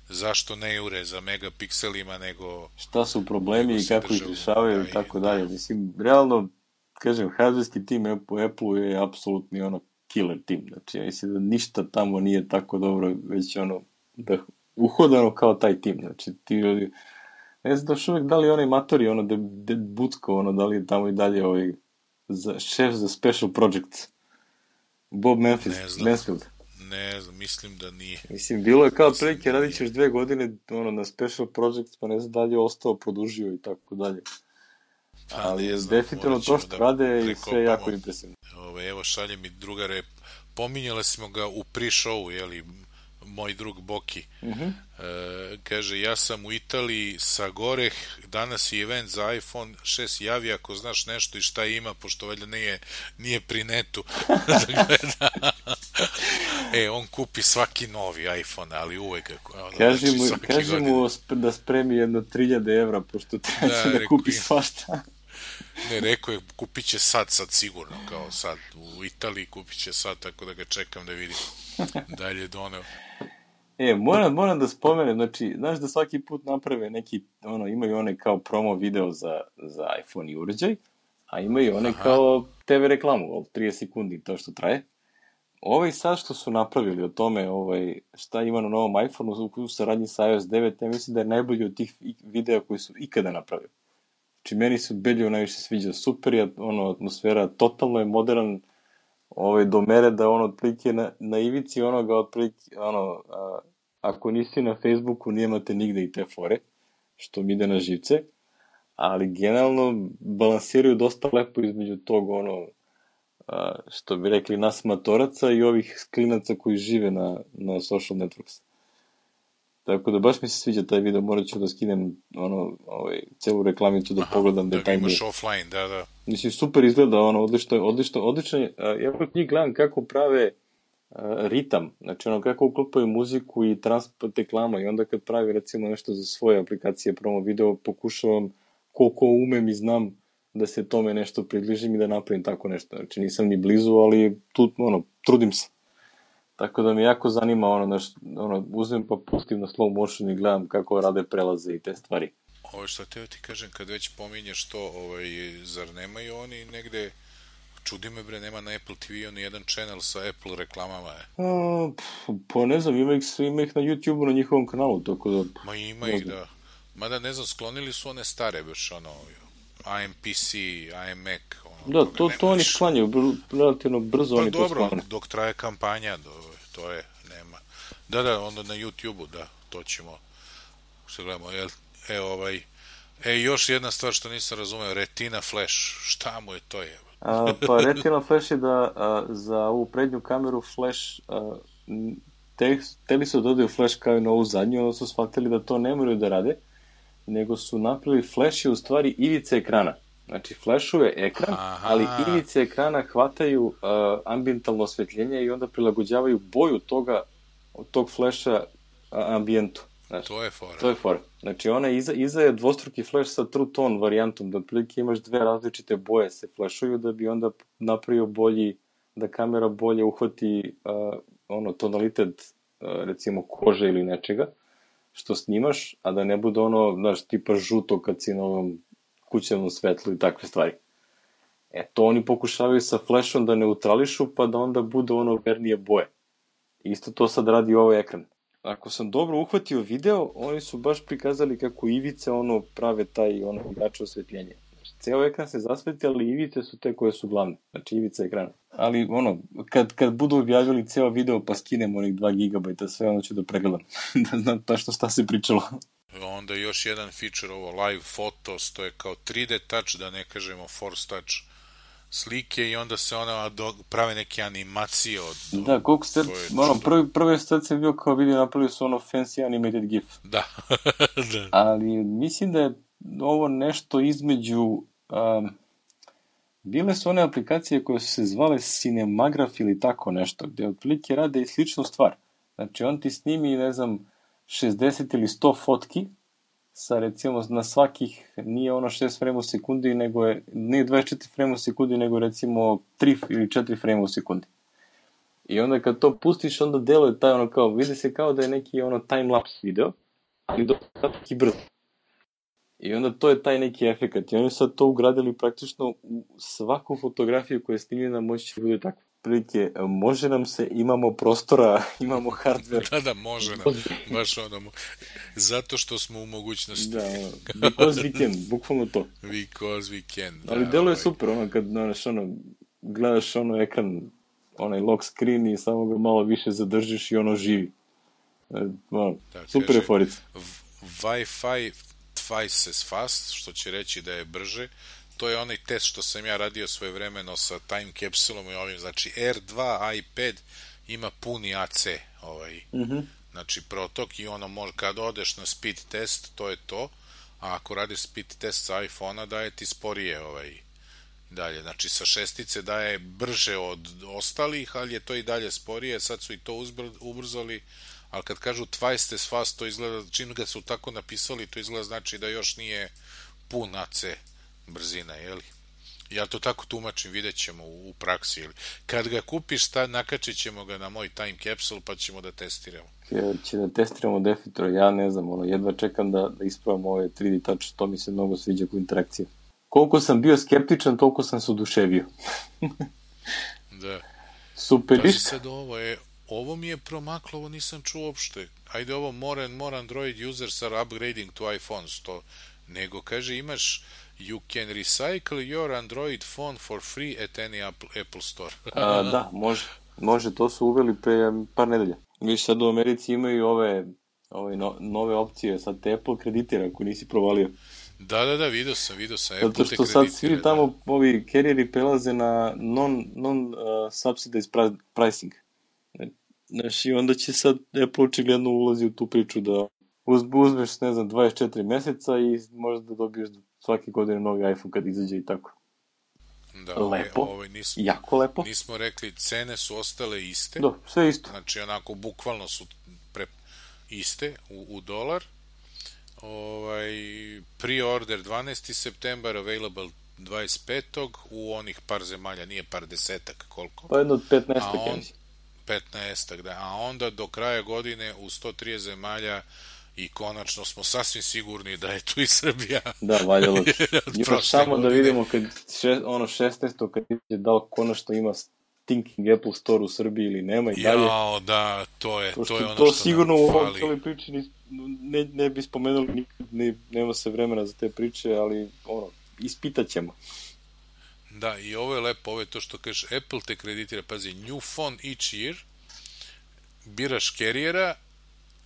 zašto ne jure za megapikselima, nego... Šta su problemi i kako ih rešavaju i tako dalje. Mislim, realno, kažem, hardwareski tim u Apple-u je apsolutni ono killer tim. Znači, ja mislim da ništa tamo nije tako dobro, već ono, da uhodano kao taj tim. Znači, ti ljudi... Ne znam još uvek da li onaj matori, ono, de, de Bucko, ono, da li je tamo i dalje ovaj, za, šef za special projects. Bob Memphis, Mansfield. Ne znam, mislim da nije. Mislim, bilo je kao prilike, radit ćeš dve godine ono, na special projects, pa ne znam da li je ostao, produžio i tako dalje. Pa, ali znam, definitivno to što da rade i sve jako impresivno. Ove, evo, šalje mi drugare, pominjali smo ga u pre-showu, jeli, moj drug Boki. Uh-huh. E, kaže, ja sam u Italiji sa Goreh, danas je event za iPhone šest, javi ako znaš nešto i šta ima, pošto valjda nije, nije pri netu da gleda. E, on kupi svaki novi iPhone, ali uvek ono, kaži znači, mu, kaži mu da spremi jedno tri hiljade evra, pošto treba da, da kupi svašta. Ne, rekao je, kupit će sad, sad sigurno, kao sad u Italiji kupit će sad, tako da ga čekam da vidim dalje doneo. E, moram, moram da spomenem, znači, znaš da svaki put naprave neki, ono, imaju one kao promo video za, za iPhone i uređaj, a imaju one Aha. kao te ve reklamu, trideset sekundi, to što traje. Ovaj sad što su napravili o tome, ovaj, šta ima na novom iPhone-u u saradnji sa iOS devet, ja mislim da je najbolji od tih videa koji su ikada napravili. Znači, meni su Belju najviše sviđa, super je, ono, atmosfera, totalno je modern, ovaj, do mere da ono, otprilike na, na ivici onoga, otprilike, ono, a, ako nisi na Facebooku, nijemate nigde i te fore, što mi ide na živce, ali generalno balansiraju dosta lepo između tog, ono, a, što bi rekli, nas matoraca i ovih klinaca koji žive na, na social networks. Tako da baš mi se sviđa taj video, morat ću da skinem ono, ovaj, celu reklamicu da Aha, pogledam da detaljnije. Da imaš offline, da, da. Mislim, super izgleda, ono, odlično, odlično, odlično. Ja kod njih gledam kako prave uh, ritam, znači ono, kako uklopaju muziku i transport reklama i onda kad pravi recimo nešto za svoje aplikacije, promo video, pokušavam koliko umem i znam da se tome nešto približim i da napravim tako nešto. Znači nisam ni blizu, ali tu, ono, trudim se. Tako da mi jako zanima, ono, naš, ono, uzmem pa pustim na slow motion i gledam kako rade prelaze i te stvari. Ovo što teo ti kažem, kad već pominješ to, ovaj, zar nemaju oni negde, čudi me bre, nema na Apple te ve ni jedan channel sa Apple reklamama, je? A, pa ne znam, ima ih, ima ih na YouTube-u na njihovom kanalu, tako da... Ma ima ih, da. Mada ne znam, sklonili su one stare, baš ono, I M P C, I M Mac, ono, da, to, to oni sklanjaju, br relativno brzo pa oni dobro, to sklane. Dok traje kampanja, do, to je, nema, platforma. Da, da, onda na YouTube-u, da, to ćemo, što gledamo, jel, e, ovaj, e, još jedna stvar što nisam razumeo, Retina Flash, šta mu je to je? A, pa Retina Flash je da a, za ovu prednju kameru Flash, a, te, teli su dodaju Flash kao i na ovu zadnju, onda su shvatili da to ne moraju da rade, nego su napravili Flash je u stvari ivice ekrana. Znači, flashuje ekran, Aha. ali ivice ekrana hvataju uh, ambijentalno osvetljenje i onda prilagođavaju boju toga, tog flasha ambijentu. Znači, to je fora. To je fora. Znači, ona iza, iza je dvostruki flash sa True Tone varijantom, da otprilike imaš dve različite boje se flashuju, da bi onda napravio bolji, da kamera bolje uhvati uh, ono, tonalitet, uh, recimo, kože ili nečega, što snimaš, a da ne bude ono, znaš, tipa žuto kad si na ovom kućevnom svetlu i takve stvari. E, to oni pokušavaju sa flashom da neutrališu, pa da onda bude ono vernije boje. Isto to sad radi ovaj ekran. Ako sam dobro uhvatio video, oni su baš prikazali kako ivice ono prave taj ono igrače osvetljenje. Znači, ceo ekran se zasveti, ali ivice su te koje su glavne. Znači, ivice ekrana. Ali, ono, kad, kad budu objavili ceo video, pa skinem onih dva gigabajta, sve ono ću da pregledam. Da znam tačno šta se pričalo. Onda još jedan feature, ovo live photos, to je kao tri D touch, da ne kažemo force touch slike i onda se ona do, prave neke animacije od... Da, koliko ste, ono, prvi, prvi sad sam bio kao vidio, napravili su ono fancy animated gif. Da. Da. Ali mislim da je ovo nešto između... Um, bile su one aplikacije koje su se zvale Cinemagraph ili tako nešto, gde otprilike rade i sličnu stvar. Znači, on ti snimi, ne znam, šezdeset ili sto fotki, sa recimo na svakih, nije ono šest frame u sekundi, nego je, nije dvadeset četiri frame u sekundi, nego recimo tri ili četiri frame u sekundi. I onda kad to pustiš, onda deluje taj ono kao, vidi se kao da je neki ono time-lapse video, ali dosta kratki i brzo. I onda to je taj neki efekat. I oni sad to ugradili praktično u svaku fotografiju koja je snimljena, moći će bude tako. Prilike, može nam se, imamo prostora, imamo hardware. Da, da, može nam. Baš ono, zato što smo u mogućnosti. Da, because we can, bukvalno to. Because we can. Da, ali deluje ovaj. super, ono, kad znaš, ono, gledaš ono ekran, onaj lock screen i samo ga malo više zadržiš i ono živi. Ono, da, super kaže, je forica. Wi-Fi twice as fast, što će reći da je brže. To je onaj test što sam ja radio svojevremeno sa time capsulom i ovim, znači R dva iPad ima puni A C ovaj, mm-hmm. znači protok i ono može, kad odeš na speed test, to je to, a ako radiš speed test sa iPhone-a daje ti sporije ovaj, dalje, znači sa šestice daje brže od ostalih, ali je to i dalje sporije, sad su i to ubrzali, ali kad kažu twice as fast, to izgleda, čim ga su tako napisali, to izgleda znači da još nije pun A C brzina, jeli? Ja to tako tumačim, vidjet ćemo u, u praksi, jeli? Kad ga kupiš, ta, nakačit ćemo ga na moj time capsule, pa ćemo da testiramo. Ja, će da testiramo definitivno, ja ne znam, ono, jedva čekam da, da ispravam ove tri D touch, to mi se mnogo sviđa kao interakcija. Koliko sam bio skeptičan, toliko sam se oduševio. Da. Super lišta. Sad ovo je, ovo mi je promaklo, ovo nisam čuo uopšte. Ajde ovo, more, more Android users are upgrading to iPhones, to, nego kaže imaš you can recycle your Android phone for free at any Apple, Apple store. A, da, može. Može, to su uveli pre par nedelja. Viš, sad u Americi imaju ove, ove no, nove opcije, sad te Apple kreditira ako nisi provalio. Da, da, da, vidio sam, vidio sam. Zato što sad svi tamo, da. Ovi carrieri prelaze na non, non uh, subsidized pricing. Znaš, i onda će sad Apple očigledno ulazi u tu priču da uz, uzmeš, ne znam, dvadeset četiri meseca i možda da dobiješ svake godine novi iPhone kad izađe i tako. Da, lepo, ovaj, nismo, jako lepo. Nismo rekli, cene su ostale iste. Da, sve isto. Znači, onako, bukvalno su pre, iste u, u dolar. Ovaj, pre-order dvanaesti septembar, available dvadeset petog u onih par zemalja, nije par desetak, koliko? Pa jedno od petnaestak, on, petnaestak, da. A onda do kraja godine u sto trideset zemalja i konačno smo sasvim sigurni da je tu i Srbija. Da, valjalo. Još samo godine. Da vidimo kad še, ono šesnaesto kad je dao konačno ima Thinking Apple Store u Srbiji ili nema i dalje. Jao, da, to je, to, to je ono to što sigurno nam u fali. ovom cijeloj priči ne, ne bi spomenuli nikad, ne, nema se vremena za te priče, ali ono, ispitat ćemo. Da, i ovo je lepo, ovo je to što kažeš, Apple te kreditira, pazi, new phone each year biraš kerijera,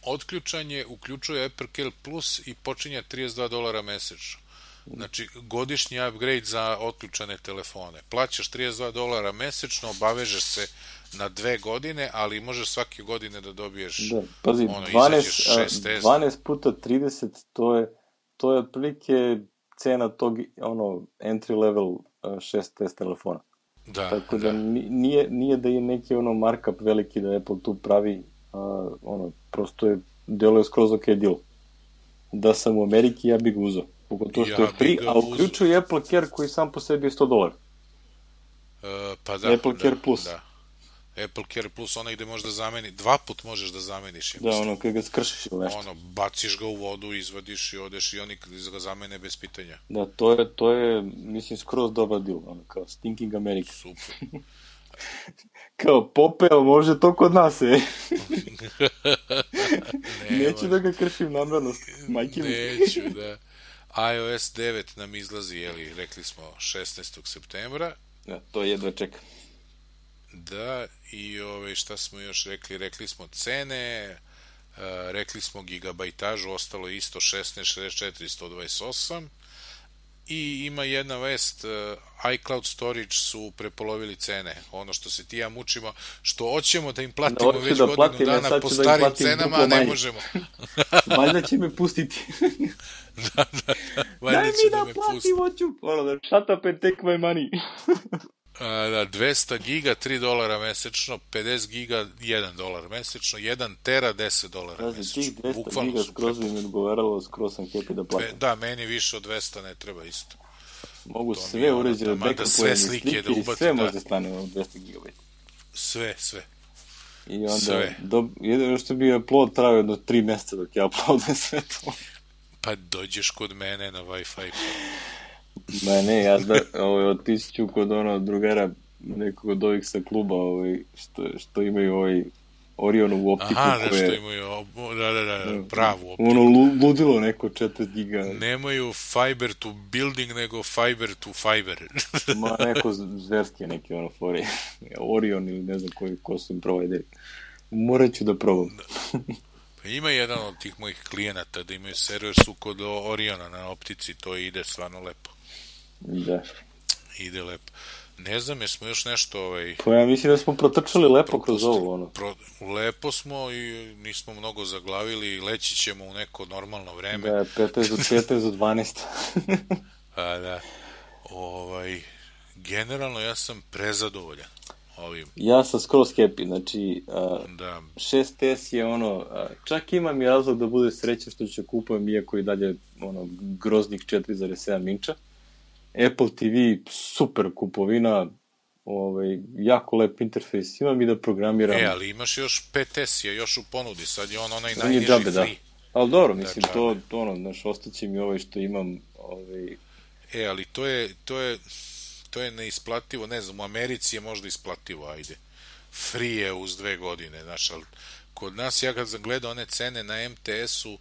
otključan je, uključuje Apple Care Plus i počinje trideset dva dolara mesečno. Znači, godišnji upgrade za otključane telefone. Plaćaš trideset dva dolara mesečno, obavežeš se na dve godine, ali možeš svake godine da dobiješ da, pazi, ono, dvanaest, šest S. dvanaest puta trideset, to je, to je otprilike cena tog ono, entry level šest S telefona. Da, tako da. da, nije, nije da je neki ono markup veliki da Apple tu pravi, a, ono, prosto je, delo je skroz ok deal. Da sam u Ameriki, ja bih ga uzao. Pogotovo što ja je free, a uključuje Apple Care koji sam po sebi je sto dolara. Uh, pa da, Apple da, Care Plus. Da. Apple Care Plus, onaj gde možeš da zameni, dva put možeš da zameniš. Da, ono, kada ga skršiš ili nešto. Ono, baciš ga u vodu, izvadiš i odeš i oni ga zamene bez pitanja. Da, to je, to je mislim, skroz dobar deal, ono, kao Stinking America. Super. Kao, popeo, može to kod nas, e. ne, Neću da ga kršim namerno, majke mi. Neću, da. iOS devet nam izlazi, jeli, rekli smo, šesnaestog septembra. Da, to jedva čekam. Da, i ove, šta smo još rekli? Rekli smo cene, uh, rekli smo gigabajtažu, ostalo je isto šesnaest, šezdeset četiri, sto dvadeset osam. I ima jedna vest, uh, iCloud Storage su prepolovili cene. Ono što se ti ja mučimo, što hoćemo da im platimo da, već da godinu platim, dana po da starim cenama, a ne možemo. Valjda će me pustiti. da, da, da. Daj mi da, da platim, hoću. Ono da, shut up and take my money. A, da, dvesta giga, tri dolara mesečno, pedeset giga, jedan dolar mesečno, jedan tera, deset dolara Razi, mesečno. tih dvesta giga skroz bi mi odgovaralo, skroz sam happy da platim. Da, meni više od dvesta ne treba isto. Mogu to sve uređene, da, da sve slike da ubati, sve da. može stane u dvesta gigabajta. Sve, sve. I onda, do, jedino što bi upload trajao jedno tri meseca dok ja uploadam sve to. Pa dođeš kod mene na Wi-Fi. Ma ne, ja da, ovaj, otiću kod ono drugara nekog od ovih sa kluba ovaj, što, što imaju ovaj Orionovu optiku. Aha, da, koje, što imaju, da, da, da, pravu optiku. Ono ludilo neko četrdeset giga. Nemaju fiber to building, nego fiber to fiber. Ma neko zverski neki ono fori. Orion ili ne znam koji, ko su im provajderi. Morat ću da probam. Pa ima jedan od tih mojih klijenata da imaju server su kod Oriona na optici, to ide stvarno lepo. Da. Ide lepo. Ne znam, jesmo još nešto ovaj... Pa ja mislim da smo protrčali lepo kroz ovo, ono. Pro, lepo smo i nismo mnogo zaglavili, leći ćemo u neko normalno vreme. Da, petnaest do dvanaest. A da, ovaj, generalno ja sam prezadovoljan ovim. Ja sam skroz happy, znači, uh, da. šest S je ono, uh, čak imam i razlog da bude sreća što ću kupujem, iako i dalje, ono, groznih četiri zarez sedam inča. Apple T V, super kupovina, ovaj, jako lep interfejs, imam i da programiram. E, ali imaš još pet S je još u ponudi, sad je on onaj on najniži džabe, free. Da. Ali dobro, mislim, da, to, to ono, znaš, ostaće mi ovaj što imam, ovaj... E, ali to je, to je, to je neisplativo, ne znam, u Americi je možda isplativo, ajde. Free je uz dve godine, znaš, ali kod nas, ja kad sam gledao one cene na M T S-u,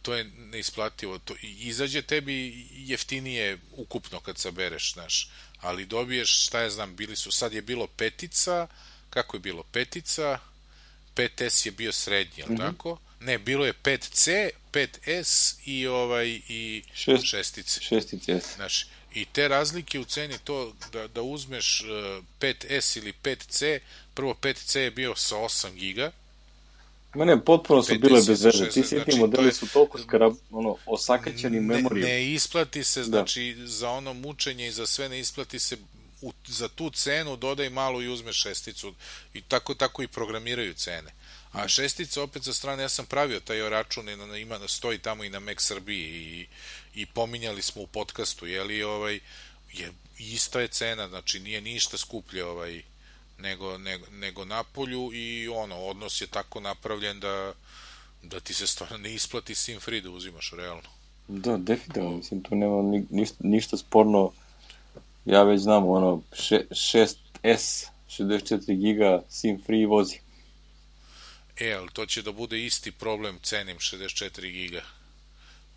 to je neisplativo. To, izađe tebi jeftinije ukupno kad sabereš, znaš, ali dobiješ, šta ja znam, bili su, sad je bilo petica, kako je bilo, petica, pet S je bio srednji, jel mm-hmm. tako? Ne, bilo je pet C, pet S i ovaj, i Šest, šestice. Šestice, jes. Znaš, i te razlike u ceni to da, da uzmeš uh, pet S ili pet C, prvo pet C je bio sa osam giga. Ma ne, potpuno su bile bez veze. Ti svi ti modeli je, su toliko skarab, ono, osakaćeni memorijom. Ne, ne isplati se, znači, da. Za ono mučenje i za sve ne isplati se, u, za tu cenu dodaj malo i uzmeš šesticu. I tako, tako i programiraju cene. A šestica, opet sa strane, ja sam pravio taj račun, ima, stoji tamo i na Mac Srbiji i, i pominjali smo u podcastu, jeli, ovaj, je, ista je cena, znači nije ništa skuplje, ovaj, nego, nego, nego napolju i ono, odnos je tako napravljen da, da ti se stvarno ne isplati sim free da uzimaš, realno. Da, definitivno, mislim, tu nema ni, ništa, ništa sporno, ja već znam, ono, šest S, šezdeset četiri giga, sim free vozi. E, ali to će da bude isti problem cenim šezdeset četiri giga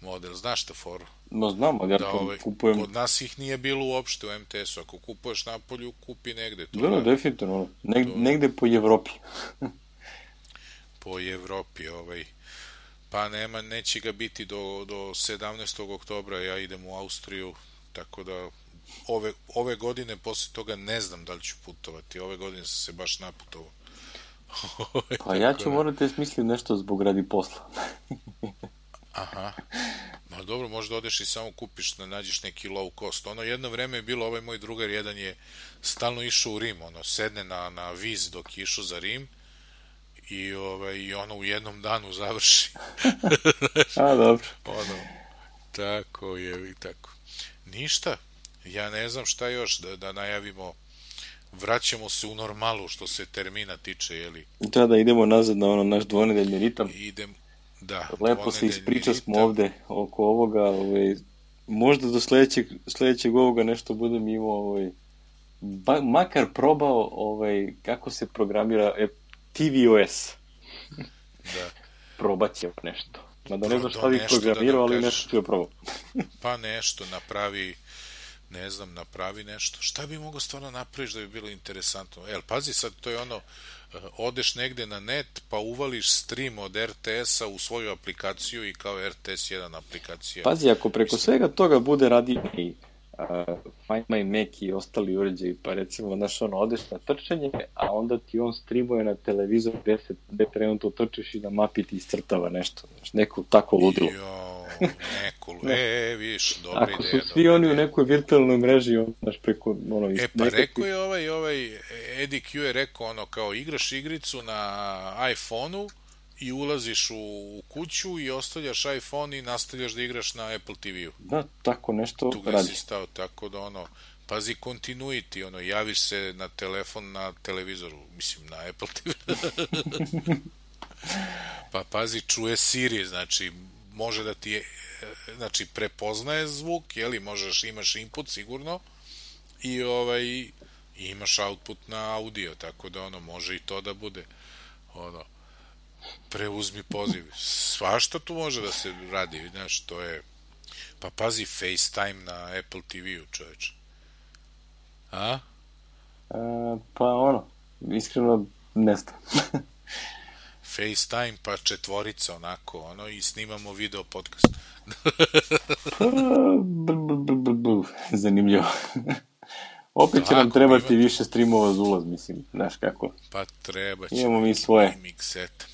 model, znaš šta foru? No znam, ali ja da, ovaj, kupujem... Kod nas ih nije bilo uopšte u M T S-u, ako kupuješ napolju, kupi negde. To da, da, definitivno, Neg, to... negde po Evropi. po Evropi, ovaj. Pa nema, neće ga biti do, do sedamnaestog oktobra, ja idem u Austriju, tako da ove, ove godine posle toga ne znam da li ću putovati, ove godine sam se baš naputovao. Pa ja ću morati smisliti nešto zbog radi posla. Aha. Ma dobro, možda odeš i samo kupiš, da nađeš neki low cost. Ono, jedno vreme je bilo, ovaj moj drugar jedan je stalno išao u Rim, ono, sedne na, na viz dok je išao za Rim i, ovaj, i ono u jednom danu završi. A, dobro. Ono, tako je, i tako. Ništa, ja ne znam šta još da, da najavimo. Vraćamo se u normalu što se termina tiče, jeli? Da, da, idemo nazad na ono naš dvonedeljni ritam. Idem, da. Lepo se ispriča smo ovde oko ovoga, ovaj, možda do sledećeg, sledećeg ovoga nešto budem imao, ovaj, ba, makar probao ovaj, kako se programira e, tvOS. Da. Probat ćemo nešto. Mada ne znam šta Do bih nešto programirao, da ali nešto ću da probao. Pa nešto napravi, ne znam, napravi nešto. Šta bi mogao stvarno napraviš da bi bilo interesantno? El, pazi, sad to je ono, odeš negde na net, pa uvališ stream od er te esa u svoju aplikaciju i kao er te es jedan aplikacija. Pazi, ako preko svega toga bude radio i uh, Find My Mac i ostali uređaji, pa recimo, znaš, ono, odeš na trčanje, a onda ti on streamuje na televizor gde, se, gde trenutno trčiš i na mapi ti iscrtava nešto, znaš, neko tako ludilo. Jo, neko, e, viš, dobra ako ideja. Ako su svi oni u nekoj virtualnoj mreži, on, znaš, preko, ono... E, pa nekakvi... rekao je ovaj, ovaj, Eddie Q je rekao, ono, kao, igraš igricu na iPhone-u i ulaziš u, u kuću i ostavljaš iPhone i nastavljaš da igraš na Apple te ve-u. Da, tako nešto tu radi. Tu si stao, tako da, ono, pazi continuity, ono, javiš se na telefon na televizoru, mislim, na Apple te ve. Pa pazi, čuje Siri, znači, može da ti, znači, prepoznaje zvuk, jeli, možeš, imaš input sigurno i, ovaj, i imaš output na audio, tako da, ono, može i to da bude, ono, preuzmi poziv. Svašta tu može da se radi, znaš, to je... Pa pazi, FaceTime na Apple te ve-u, čoveče. A? A, pa ono, iskreno ne znam. FaceTime pa četvorica, onako, ono, i snimamo video podcast. Pa, b, b, b, b, zanimljivo. Opet će nam trebati imate... više streamova za ulaz, mislim, znaš kako. Pa treba će. Imamo mi svoje. Mixet.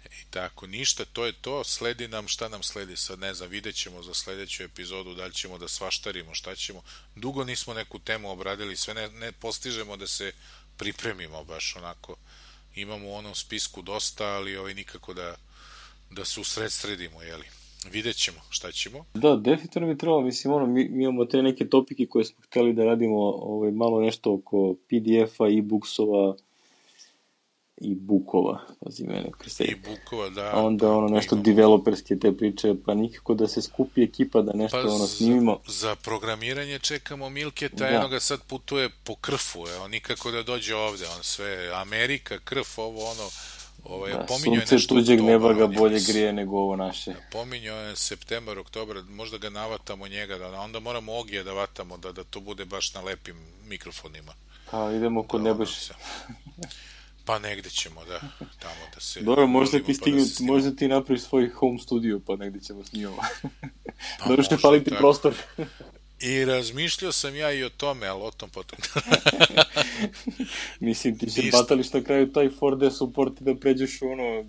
I tako, ništa, to je to. Sledi nam, šta nam sledi sad, ne znam, vidjet ćemo za sledeću epizodu, da li ćemo da svaštarimo, šta ćemo. Dugo nismo neku temu obradili, sve ne, ne postižemo da se pripremimo baš onako. Imamo u onom spisku dosta, ali ovaj, nikako da, da se usredsredimo, jeli. Vidjet ćemo šta ćemo. Da, definitivno mi treba, mislim, ono, mi, mi imamo te neke topike koje smo hteli da radimo, ovaj, malo nešto oko pe de efa, e-booksova, i bukova, pazi mene, krese. I bukova, da. A onda ono nešto imamo... developerske te priče, pa nikako da se skupi ekipa da nešto pa ono snimimo. Za, za programiranje čekamo Milketa, da. Eno ga sad putuje po krfu, evo, nikako da dođe ovde, on sve, Amerika, krf, ovo ono, ovaj, da, sunce tuđeg neba ga bolje grije nego ovo naše. Pominjao je septembar, oktobar, možda ga navatamo njega, da, onda moramo Ogija da vatamo, da, da to bude baš na lepim mikrofonima. Pa idemo kod da, Nebojše. Pa negde ćemo, da, tamo da se... Dobro, možda ti, stignu, pa da možda ti napraviš svoj home studio, pa negde ćemo snimamo. Pa dobro što fali ti prostor. I razmišljao sam ja i o tome, ali o tom potom. Mislim, ti se batališ na kraju taj four D support da pređeš u ono...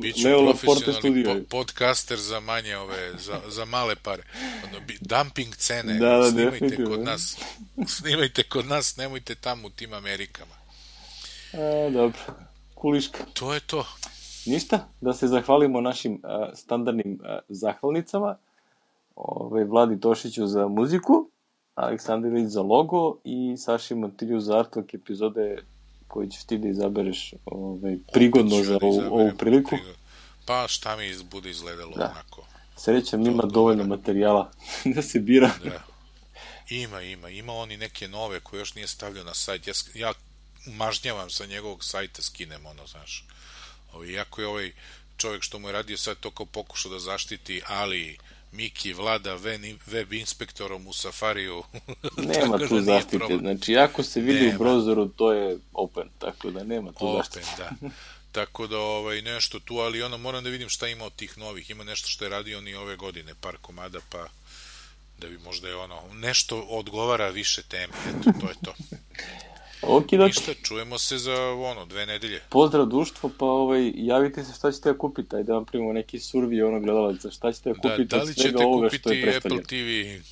Biću profesionalni po, podcaster za manje ove, za, za male pare. Ono, dumping cene, da, da, snimajte kod nas. Snimajte kod nas, nemojte tamo u tim Amerikama. A, dobro, kuliška. To je to. Ništa, da se zahvalimo našim a, standardnim a, zahvalnicama, Ove, Vladi Tošiću za muziku, Aleksandrović za logo i Saši Montilju za artwork epizode koji ćeš ti da izabereš ove, prigodno za ovu, da ovu priliku. Prigod. Pa šta mi bude izgledalo da. Onako. Srećam, ima dovoljno materijala da se bira. Da. Ima, ima. Ima oni neke nove koje još nije stavljao na sajt. Ja, ja mažnjavam sa njegovog sajta, skinem ono, znaš. Ovo, iako je ovaj čovjek što mu je radio sad to kao pokušao da zaštiti, ali Miki vlada web inspektorom u Safariju. Nema tu da zaštite, znači ako se vidi nema. U browseru to je open, tako da nema tu open, zaštite. Da. tako da ovaj, nešto tu, ali ono, moram da vidim šta ima od tih novih, ima nešto što je radio ni ove godine, par komada, pa da bi možda je ono, nešto odgovara više teme, eto, to je to. Okay, ništa, čujemo se za ono, dve nedelje. Pozdrav društvo, pa ovaj, javite se šta ćete da kupiti, ajde vam primimo neki survi ono gledalaca, šta ćete da kupiti da, da od svega ovoga što je predstavljeno. Apple T V,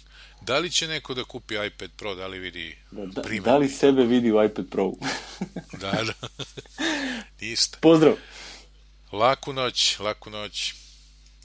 da li će neko da kupi iPad Pro, da li vidi da, da, primjer, da li sebe vidi u iPad Pro? da, da, ništa. Pozdrav! Laku noć, laku noć.